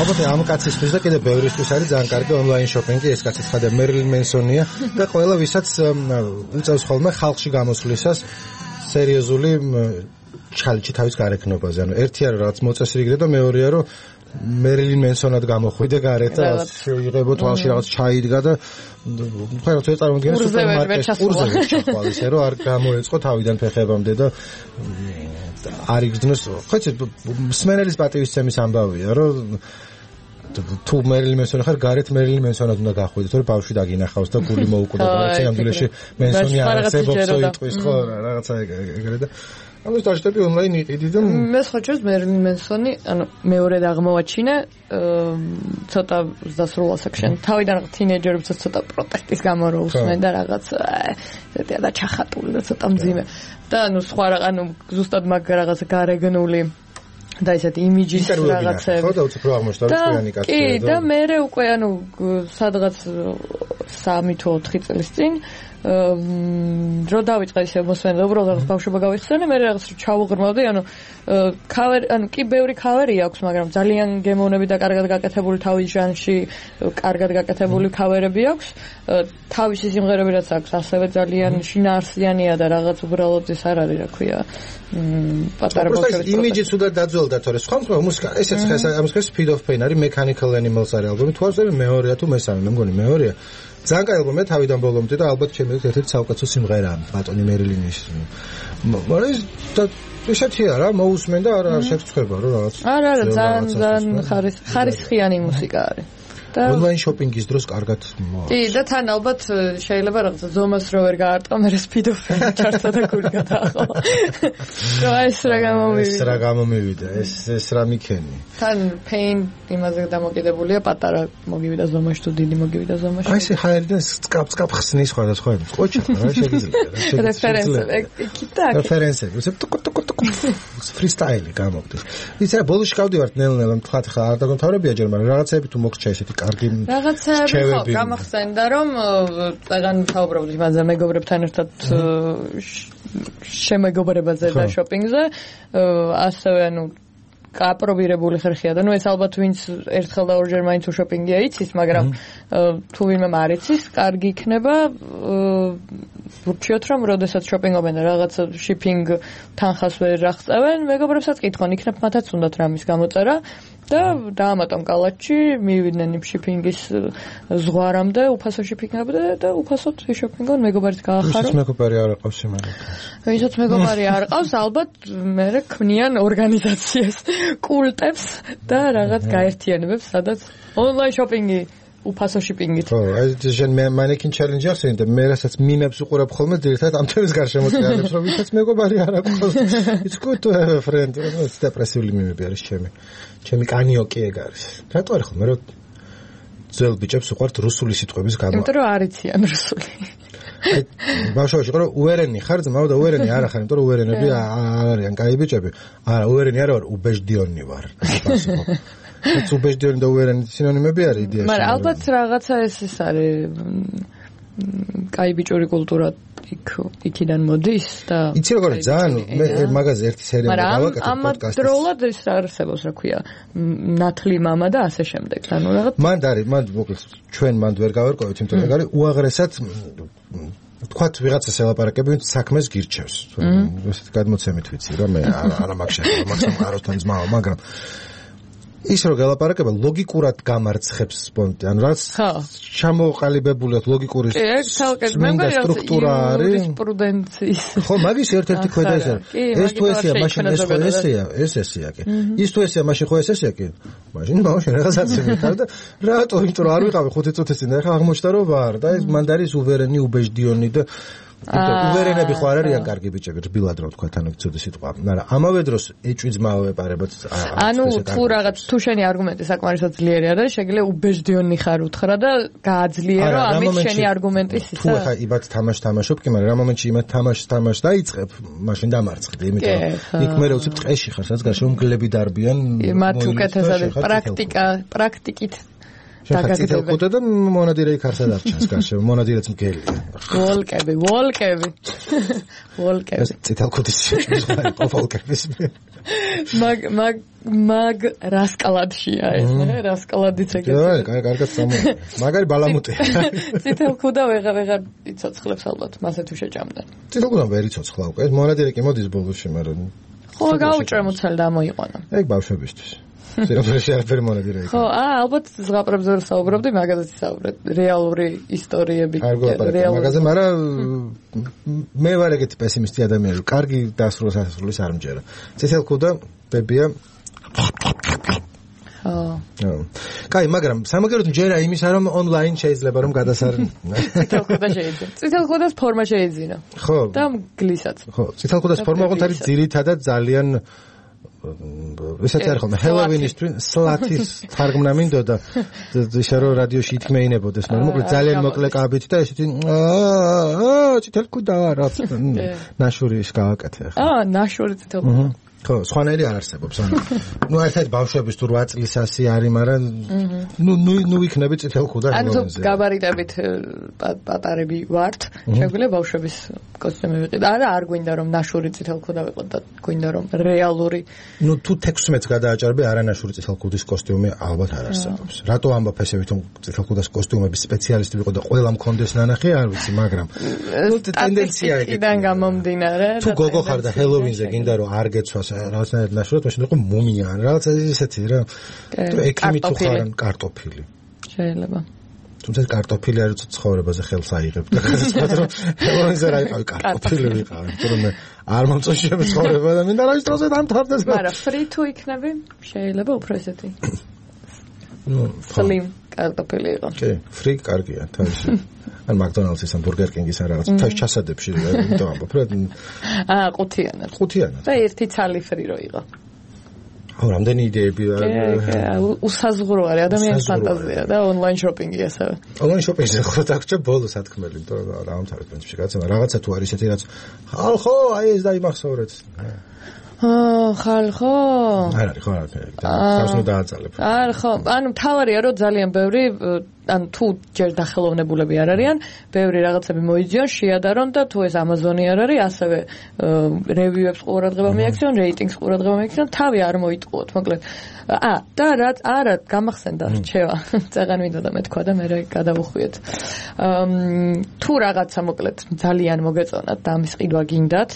S1: აბა ამ კაცისთვის და კიდე ბევრისთვის არის ძალიან კარგი ონლაინ შოპინგი ეს კაცი ხადა მერილინ მენსონია და ყველა ვისაც უწევს ხოლმე ხალხში გამოსვლისას სერიოზული ჩალენჯი თავის გარეკნობაზე ანუ ერთია რომ რაღაც მოწესრიგდე და მეორეა რომ მერილინ მენსონად გამოხვიდე გარეთ და შეიღებო თვალში რაღაც ჩაიდგა და ხო რა თქმა უნდა სუპერმარკეტში კურსზე ჩახვალ ისე რომ არ გამოეწყო თავიდან ფეხებამდე და არ იგრძნოს ხო იცი მსმენელის პატივისცემის ამბავია რომ თუ მერილინ მენსონი ხარ გარეთ მერილინ მენსონად უნდა გახვიდე თორე ბავშვი დაგინახავს და გული მოუკვდა და სიამდვილეში მენსონი არ არსებობს იტყვის ხო რაღაცა ეგრე და ამას დაჟდები ონლაინ იყიდი და
S3: მე სხვა ჩვენს მერლინ მენსონი, ანუ მეორედ აღმოვაჩინე, ცოტა დასრულა სექშენ. თავიდან თინეიჯერებსაც ცოტა პროტესტის გამო რო უსმენ და რაღაც ზედია და ჩახატული და ცოტა მძიმე. და ანუ სხვა ანუ ზუსტად მაგ რაღაცა გარეგნული და ესეთი იმიჯის რაღაცები.
S1: ხო და უცებ რო აღმოჩნდა რომ თქვენი კაცი.
S3: კი, და მე უკვე ანუ სადღაც 3 თუ 4 წლის წინ რო დავიწყე ისე მოსვენება, უბრალოდ ბავშვობა გავიხსენე, მე რაღაც ჩავუღრმავდი, ანუ ქავერი, ანუ კი ბევრი ქავერი აქვს, მაგრამ ძალიან გემოვნები და კარგად გაკეთებული თავის ჟანრში, კარგად გაკეთებული ქავერები აქვს. თავისი სიმღერები რაც აქვს, ასევე ძალიან შინაარსიანია და რაღაც უბრალოდ ეს არ არის, რა ქვია, პატარა
S1: ბავშვების იმიჯი თუდად დაძველდა, თორე სხვა მუსიკა, ესეც ამის ხეს Speed of Pain არის, Mechanical Animals არის ალბომი, თუ არ ვწდები მეორეა თუ მესამე, მე მგონი მეორეა. ძალიან კაი ალბომია თავიდან ბოლომდე და ალბათ ჩემი ერთ-ერთი საუკეთესო სიმღერაა ბატონი მერილინის. მაგრამ ესეთია რა, მოусმენ და არ შეგვწება რომ რაღაც.
S3: არა, ძალიან ხარისხიანი მუსიკა არის.
S1: ონლაინ შოპინგის დროს კარგად მოაქვს.
S3: კი, და თან ალბათ შეიძლება რაღაცა ზომას რო ვერ გაარტყო, მე Speed of Pain ჩართვა და გული გადაახო. ეს რა
S1: გამომივიდა, ეს რა მიქენი.
S3: თან Pain იმაზე დამოკიდებულია, პატარა მოგივიდა ზომაში თუ დიდი მოგივიდა ზომაში.
S1: აი ესე ჰაერიდან სკაპ ხსნის სხვადასხვა ყოჩა რა შეიძლება. რეფერენსები. ფრისტაილი გამოგდის. იცი რა ბოლოში გავდივართ ნელ-ნელა თქვათ ხა არ დაგმთავრებია ჯერ, მაგრამ რაღაცები თუ მოგჭა ესეთი კარგი
S3: რაღაცები ხო გამახსენდა რომ წეგან თავბრობდი მასზე მეგობრებთან ერთად შემეგობრებაზე და შოპინგზე ასევე ანუ კაპრობირებული ხერხია და ნუ ეს ალბათ ვინც ერთხელ და ორჯერ მაინც უშოპინგია იცის, მაგრამ თუ ვინმე არ იცის, კარგი იქნება ვურჩიოთ რომ როდესაც შოპინგობენ და რაღაც შიპინგ თანხას ვერ აღწევენ, მეგობრებსაც კითხონ, იქნებ მათაც უნდათ რამის გამოწერა და დაამატონ კალათში, მივიდნენ იმ შიპინგის ზღვარამდე, უფასო შიპინგამდე და უფასოდ შოპინგონ მეგობარიც გაახარო.
S1: ვისაც მეგობარი არ ყავს იმან.
S3: ვისაც მეგობარი არ ყავს, ალბათ მე ქმნიან ორგანიზაციას, კულტებს და რაღაც გაერთიანებებს, სადაც ონლაინ შოპინგი უფასო შიპინგით.
S1: ხო, ეს ჟენ მანეკინ ჩელენჯი ახსენე და მე რასაც მიმებს უყურებ ხოლმე ძირითადად ამ თემის გარშემო წიაღებს, რომ ვისაც მეგობარი არ აქვს. It's good to have a friend. ეს დეპრესიული მიმები არის ჩემი კანიოკი ეგ არის. რატო არის ხოლმე რომ ძველ ბიჭებს უყვართ რუსული სიტყვების გამო.
S3: იმიტომ რომ არ იციან რუსული.
S1: აი ბავშვობაში ყო უერენი ხარ ძმაო და უერენი არა ხარ, იმიტომ რომ უერენები არ არიან კაი ბიჭები. არა, უერენი არა ვარ, უბეჟდიონი ვარ. ეს უბეჟდიონი და უერენი სინონიმები არის იდეაში.
S3: მაგრამ ალბათ რაღაცა ეს არის კაი ბიჭური კულტურა იქიდან მოდის და
S1: იცი როგორ ძალიან მე მაგაზე ერთი სერიალი გავაკეთე პოდკასტში.
S3: მაგრამ დროულად ეს არსებობს, რა ქვია, ნათლი მამა და ასე შემდეგ. ანუ რაღაც
S1: მან მოკლედ ჩვენ მანდ ვერ გავერკვევით, იმიტომ რომ არის უაღრესად თქვათ ვიღაცას ელაპარაკები, ვინც საქმეს გირჩევს. ესეთ გადმოცემით ვიცი რომ მე არა მაგ შეიძლება მაგსამ აროსთან ძმაო, მაგრამ ის რო გელაპარაკება ლოგიკურად გამარცხებს სპონტი, ანუ რაც ჩამოყალიბებული ლოგიკური სტრუქტურა არის
S3: იურისპრუდენციის.
S1: ხო, მაგის ერთ-ერთი ქვედა ეს არის. ეს თუ ესეა, მაშინ ეს ხო ესეა, ეს ესეა კი. ის თუ ესეა, მაშინ ხო ეს ესეა კი. მაშინ ბავშვი რაღაცაც მითარ და რატო, იმიტომ რომ არ ვიყავი 5 წუთის წინ და ახლა აღმოჩნდა რომ ვარ და ეს მანდ არის უვერენი, უბეჟდიონი და უვერენები ხო არ არიან კარგი ბიჭები, რბილად რა ვთქვა, ანუ ცუდი სიტყვა. მაგრამ ამავე დროს ეჭვი ძმაო ეპარებათ.
S3: ანუ თუ რაღაც თუ შენი არგუმენტი საკმარისად ძლიერი არის, შეგიძლია უბეჟდიონი ხარ უთხრა და გააძლიერო ამით შენი არგუმენტის ისა.
S1: თუ ახლა იმათ თამაშობ კი, მაგრამ რა მომენტში იმათ თამაშ დაიწყებ, მაშინ დამარცხდი, იმიტომ რომ იქ მე რა ვცებ ტყეში ხარ, სადაც გარშემო მგლები დარბიან.
S3: მათ უკეთესად პრაქტიკით
S1: დაგაგდება. ხუთე და მონადირე იქ არსად არჩენს გარშემო, მონადირეც მგელია.
S3: ვოლკები.
S1: ეს წითელ ქუდის შეჭმის ვოლკების.
S3: მაგ რასკალადშია ეს, რასკალადიც ეგეთი.
S1: კარგად სამოა. მაგარი ბალამუტი.
S3: წითელ ქუდა ვეღარ იცოცხლებს ალბათ, მასე თუ შეჭამდა.
S1: წითელ ქუდა ვერ იცოცხლა უკვე. ეს მონადირე კი მოდის ბოლოში, მაგრამ
S3: ხო, გაუჭრე მოცალ და მოიყვანა.
S1: ეგ ბავშვებისთვის. სერაფერში არაფერი მონადირე იქ.
S3: ხო, ალბათ ზღაპრებზე ვერ საუბრობდი, მაგაზეც საუბრობ. რეალური ისტორიები,
S1: მაგაზე, მაგრამ მე ვარ ეგეთი პესიმისტი ადამიანი, რომ კარგი დასრულს არ მჯერა. წითელ ქუდა ბებია. ხო. კაი, მაგრამ სამაგეროდ ჯერა იმისა, რომ ონლაინ შეიძლება რომ გადასარნო.
S3: წითელ ხოდა შეიძლება. წითელ ხოდას ფორმა შეიძინა.
S1: ხო.
S3: და გლისაც.
S1: ხო, წითელ ხოდას ფორმა ოღონდ არის ძირითადად ძალიან ესაც არ ხომ ჰელოვინისთვის სლათის თარგმნა მინდოდა ისე რომ რადიოში ითქმეინებოდეს მაგრამ მოკლედ ძალიან მოკლე კაბით და ესეთი წითელ ხოდა რა ნაშურის გააკეთე
S3: ახლა ნაშური წითელ ხოდა
S1: ხო, სხვანაირი არ არსებობს. ნუ ერთად ბავშვების თუ 8 წლის ასი არის, მაგრამ ნუ იქნები წითელ ხუდა
S3: ჰელოვინზე. ანუ გაბარიტებით პატარები ვართ, შეგვიძლია ბავშვების კოსტიუმი ვიყიდო. არ გვინდა რომ ნაშური წითელ ხუდა ვიყო და გვინდა რომ რეალური.
S1: ნუ თუ 16-ს გადააჭარბე არანაშური წითელ ხუდის კოსტიუმი ალბათ არ არსებობს. რატო ამბობ ესე ვითომ წითელ ხუდის კოსტიუმების სპეციალისტი ვიყო და ყველა მქონდეს ნანახი, არ ვიცი, მაგრამ ნუ ტენდენცია
S3: იქიდან გამომდინარე.
S1: თუ გოგო ხარ და ჰელოვინზე გინდა რომ არ გეცვას რაღაცნაირად ნაშურად მაშინ იყო მუმია ან რაღაც ისეთი რა თუ ექიმი თუ ხარ კარტოფილი
S3: შეიძლება
S1: თუმცა კარტოფილი არის ცხოვრებაზე ხელს აიღებ და გადაწყვეტ რომ ჰელოვინზე რა იყავი კარტოფილი ვიყავი იმიტომ რომ არ მომწონს ცხოვრება და მინდა რა ის დროზე დამთავრდეს
S3: მაგრამ free to იქნები შეიძლება უფრო ესეთი სლიმ კარტოფილი იყო
S1: კი free კარგია თავისი ან McDonald's-ის ან Burger King-ის ან რაღაც თავის ჩასადებში იმიტომ ამბობ რა ყუთიანად
S3: და ერთი ცალი free რო იყო
S1: ხო რამდენი იდეები
S3: უსაზღურო არის ადამიანის ფანტაზია და ონლაინ შოპინგი ასევე
S1: ონლაინ შოპინგზე ხო დაგჭა ბოლო სათქმელი იმიტომ რომ დაამთავრე პრინციპში რაღაცა თუ არის ესეთი რაც ხალხო აი ეს დაიმახსოვრეთ
S3: ხალხო
S1: არ არის ხო რა თავს ნუ დააწალებ
S3: არ ხო ანუ თავარია რომ ძალიან ბევრი ან თუ ჯერ დახელოვნებულები არ არიან, ბევრი რაღაცები მოიძიონ, შეადარონ და თუ ეს Amazon-ი არ არის, ასევე რევიუებს ყურადღება მიაქციონ, რეიტინგს ყურადღება მიაქციონ, თავი არ მოიტყუოთ, მოკლედ. და რაც არა გამახსენდა რჩევა. წაღან მინდოდა მეთქვა და მე გადავუხვიეთ. თუ რაღაცა მოკლედ ძალიან მოგეწონათ და ამის ყიდვა გინდათ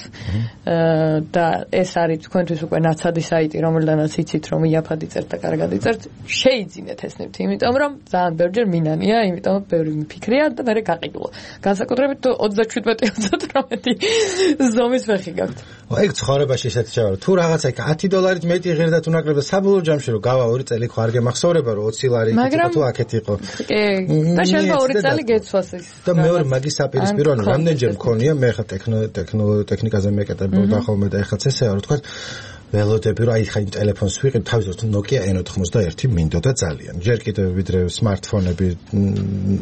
S3: და ეს არის თქვენთვის უკვე ნაცადი საიტი, რომელდანაც იცით რომ იაფად იწერთ და კარგად იწერთ, შეიძინეთ ეს ნივთი, იმიტომ რომ ძალიან ბევრჯერ მინანია, იმიტომ ბევრი მიფიქრია და მე გაყიდულა. განსაკუთრებით 27-28 ზომის ფეხი გაქვთ.
S1: ეგ ცხოვრებაში ისეთი შევა, თუ რაღაცა $10 მეტი ღირდა თუ ნაკლებდა საბოლოო ჯამში რომ გავა 2 წელი ხო არ გემახსოვრება რომ 20 ლარი თუ აქეთ იყო.
S3: და შეიძლება 2 წელი გეცვას ის.
S1: და მეორე მაგის საპირისპირო ანუ რამდენჯერ მქონია მე ხა ტექნიკაზე მეკეთებოდა ხოლმე და ეხლა წესეა რომ თქვა ველოდები რომ აი ხა იმ ტელეფონს ვიყიდ თავისთავად Nokia N91 მინდოდა ძალიან. ჯერ კიდევ ვიდრე smartphone-ები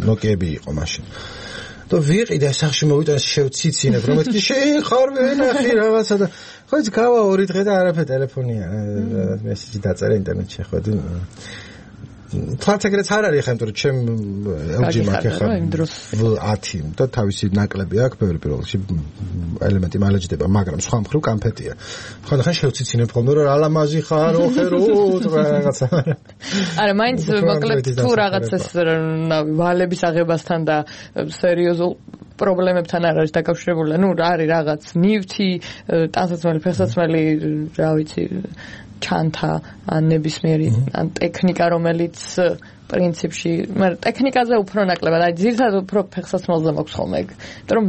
S1: Nokia-ები იყო მაშინ. და ვიყიდე სახში მოვიტანე შევციცინებ რომ მეთქი შეხარ ვენახი რაღაცა და ხო ის გავა 2 დღე და არაფერ ტელეფონია მესიჯი დაწერე ინტერნეტში ხო და ფლატეგრეც არ არის ხა იმიტომ რომ ჩემ LG მაქვს ხა 10 და თავისი ნაკლები აქვს ბევრი პირველში ელემენტი მალეჯდება მაგრამ სხვა მხრივ კამფეტია ხო და ხან შევციცინებ ხოლმე რომ ალამაზი ხარ ოხერო რაღაცა
S3: არა მაინც მოკლედ თუ რაღაცას ვალების აღებასთან და სერიოზულ პრობლემებთან არ არის დაკავშირებული ნუ არის რაღაც ნივთი ტანსაცმელი ფეხსაცმელი რა ვიცი ჩანთა ან ნებისმიერი ან ტექნიკა რომელიც პრინციპში მაგრამ ტექნიკაზე უფრო ნაკლებად აი ძირითადად უფრო ფეხსაცმელზე მაქვს ხოლმე ეგ იმიტომ რომ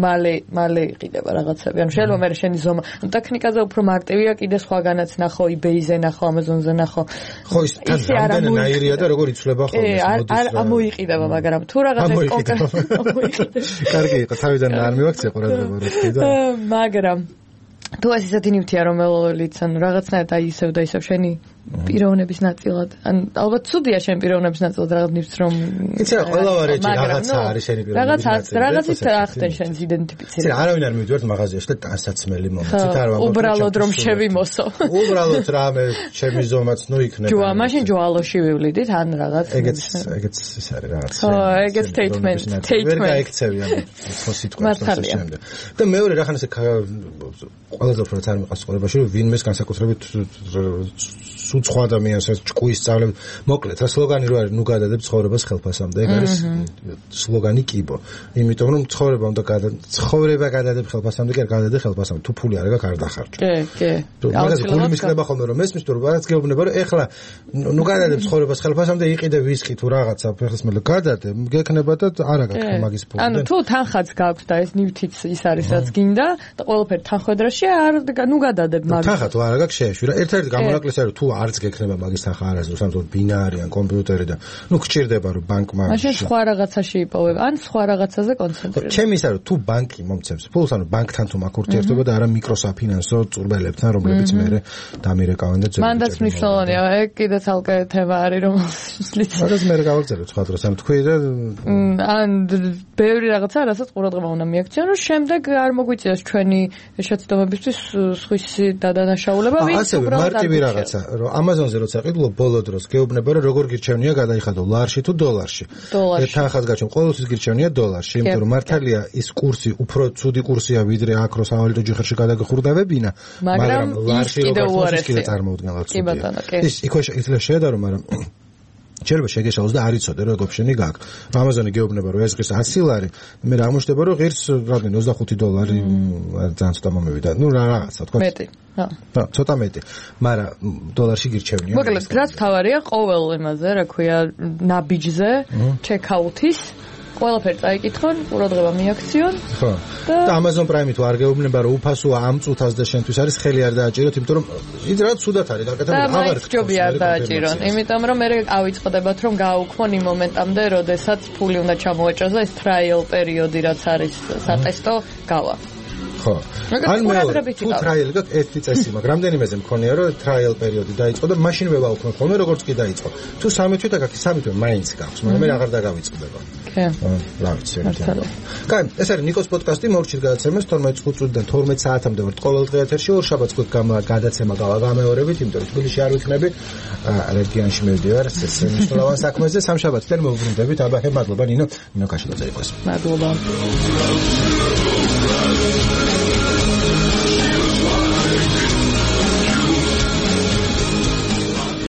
S3: მალე იყიდება რაღაცები ანუ შეიძლება მე შენი ზომა ტექნიკაზე უფრო მარტივია კიდე სხვაგანაც ნახო eBay-ზე ნახო Amazon-ზე ნახო
S1: ხო ის რამდენაირია და როგორ იცვლება ხოლმე
S3: მოდის არ მოიყიდება მაგრამ თუ რაღაცა კონკრეტულად
S1: კარგი იყო თავიდან არ მივაქცია ყურადღება რო თქვი და
S3: მაგრამ თუ ეს ისეთი ნივთია რომელიც ან რაღაცნაირად აი ისევ და ისევ შენი პიროვნების ნაწილად ან ალბათ ცუდია შენ პიროვნების ნაწილად რაღაც ნივთს რომ
S1: იცი რა ყველა ვარიანტი რაღაცა არის შენი პიროვნების ნაწილი
S3: რაღაცით ახდენ შენს იდენტიფიცირებას
S1: იცი არავინ არ მივიდვართ მაღაზიაში და ტანსაცმელი მომცით არ ვამბობ
S3: უბრალოდ რომ შევიმოსო
S1: უბრალოდ რამე ჩემი ზომაც ნუ იქნება
S3: ჯოა მაშინ ჯოალოში ვივლიდით ან რაღაც
S1: ეგეც ის არის რაღაც
S3: ხო ეგეც statement
S1: ვერ გაიქცევი ამ სიტყვას შემდეგ და მეორე რახან ესე ყველაზე უფრო არ მიყავს ცხოვრებაში რომ ვინმეს განსაკუთრებით სუცხო ადამიანს ეს ჭკუის სწავლებ მოკლედ რა სლოგანი რო არის ნუ გადადებ ცხოვრებას ხელფასამდე ეგ არის სლოგანი კიბო იმიტომ რომ ცხოვრება გადადებ ხელფასამდე კი არ გადადებ ხელფასამდე თუ ფული არ აქვს არ დახარჯო
S3: კი
S1: მაგაზე გული მისკრება ხოლმე რომ მესმის თუ რაღაც გეუბნება რომ ეხლა ნუ გადადებ ცხოვრებას ხელფასამდე იყიდე ვისკი თუ რაღაცა ფეხსაცმელი გადადე გექნება და არ აქვს მაგის ფული
S3: ანუ თუ თანხაც გაქვს და ეს ნივთიც ის არის რაც გინდა და ყველაფერი თანხმედრაში არ ნუ გადადებ
S1: მაგას თანხა თუ არ აქვს შეეშვი რა ერთ-ერთი გამონაკლისი არის თუ არც გექნება მაგის სახა არასდროს, ამიტომ ბინარი ან კომპიუტერი და გჭირდება რომ ბანკმა
S3: მაშინ სხვა რაღაცაში იპოვებ, ან სხვა რაღაცაზე კონცენტრირება.
S1: ჩემი ისა რომ თუ ბანკი მომცემს ფულს, ანუ ბანკთან თუ მაქვს ურთიერთობა და არა მიკროსაფინანსო წურბელებთან, რომლებიც მე დამირეკავენ და
S3: ძებნიან. მანდაც მნიშვნელოვანია, ეგ კიდე ცალკე თემა არის, რომელშიც
S1: მაგას მე გავაგზავნებ სხვა დროს, ანუ თქვი და
S3: ან ბევრი რაღაცა, რასაც ყურადღება უნდა მიაქციონ, რომ შემდეგ არ მოგვიწიოს ჩვენი შეცდომებისთვის სხვისი დადანაშაულება, ვინც
S1: უბრალოდ მარტივი რაღაცა, რომ Amazon-ზე როცა ყიდულობ ბოლო დროს გეუბნება, რომ როგორ გირჩევნია გადაიხადო ლარში თუ დოლარში. თანხას გაჩვენ, ყოველთვის გირჩევნია დოლარში, იმიტომ რომ მართალია ის კურსი უფრო ცუდი კურსია, ვიდრე აქ რო სავალუტო ჯიხერში გადაგხურდავებინა, მაგრამ ლარში როგორ კიდე წარმოუდგენლად ცუდია. ის იქ შეიძლება შეედარო, მაგრამ შეიძლება შეგეშალოს და არ იცოდე რომ ოპშენი გაქვს. Amazon-ი გეუბნება რომ ეს ღირს 100 ლარი, მე რა მოშდება რომ ღირს რამდენი $25 ძალიან ცოტა მომევიდა. ნუ რაღაცა თქვა.
S3: მეტი.
S1: ხო, ცოტა მეტი. მაგრამ დოლარში გირჩევნია.
S3: მოკლედ, რაც თავარია ყოველ იმაზე, რა ქვია, ნაბიჯზე, ჩეკაუთის ყველაფერი წაიკითხონ, ყურადღება მიაქციონ.
S1: ხო. და Amazon Prime-ი თუ არ გეუბნება რომ უფასოა ამ წუთას და შენთვის არის ხელი არ დააჭიროთ, იმიტომ რომ ის რა ცუდად არის გაკეთებული, აღარ
S3: ხდება არ დააჭირონ. იმიტომ რომ მე ავიწყდებათ რომ გააუქმონ იმ მომენტამდე, როდესაც ფული უნდა ჩამოეჭრას და ეს trial პერიოდი რაც არის სატესტო გავა.
S1: ხო. ან მე თუ trial გაქვს ერთი წესი მაქვს, რამდენიმეზე მქონია რომ trial პერიოდი დაიწყო და მაშინვე ვაუქმებ ხოლმე როგორც კი დაიწყო. თუ 3 თვით გაქვს, 3 თვით მაინც გაქვს, მაგრამ მე აღარ დაგავიწყდება. რა ვიცი. კაი, ეს არის ნიკოს პოდკასტი, მოვჭირ გადაცემას 12 წუთიდან 12 საათამდე ვართ ყოველდღე ეთერში, ორ შაბათს გვაქვს გადაცემა გამეორებით, იმიტომ რომ თბილისში არ ვიქნები, რეგიონში მივდივარ, ეს მნიშვნელოვან საქმეზე, სამშაბათიდან მოვუბრუნდებით. აბა, მადლობა ნინო, ნინო კაშელაძე იყოს.
S3: მადლობა.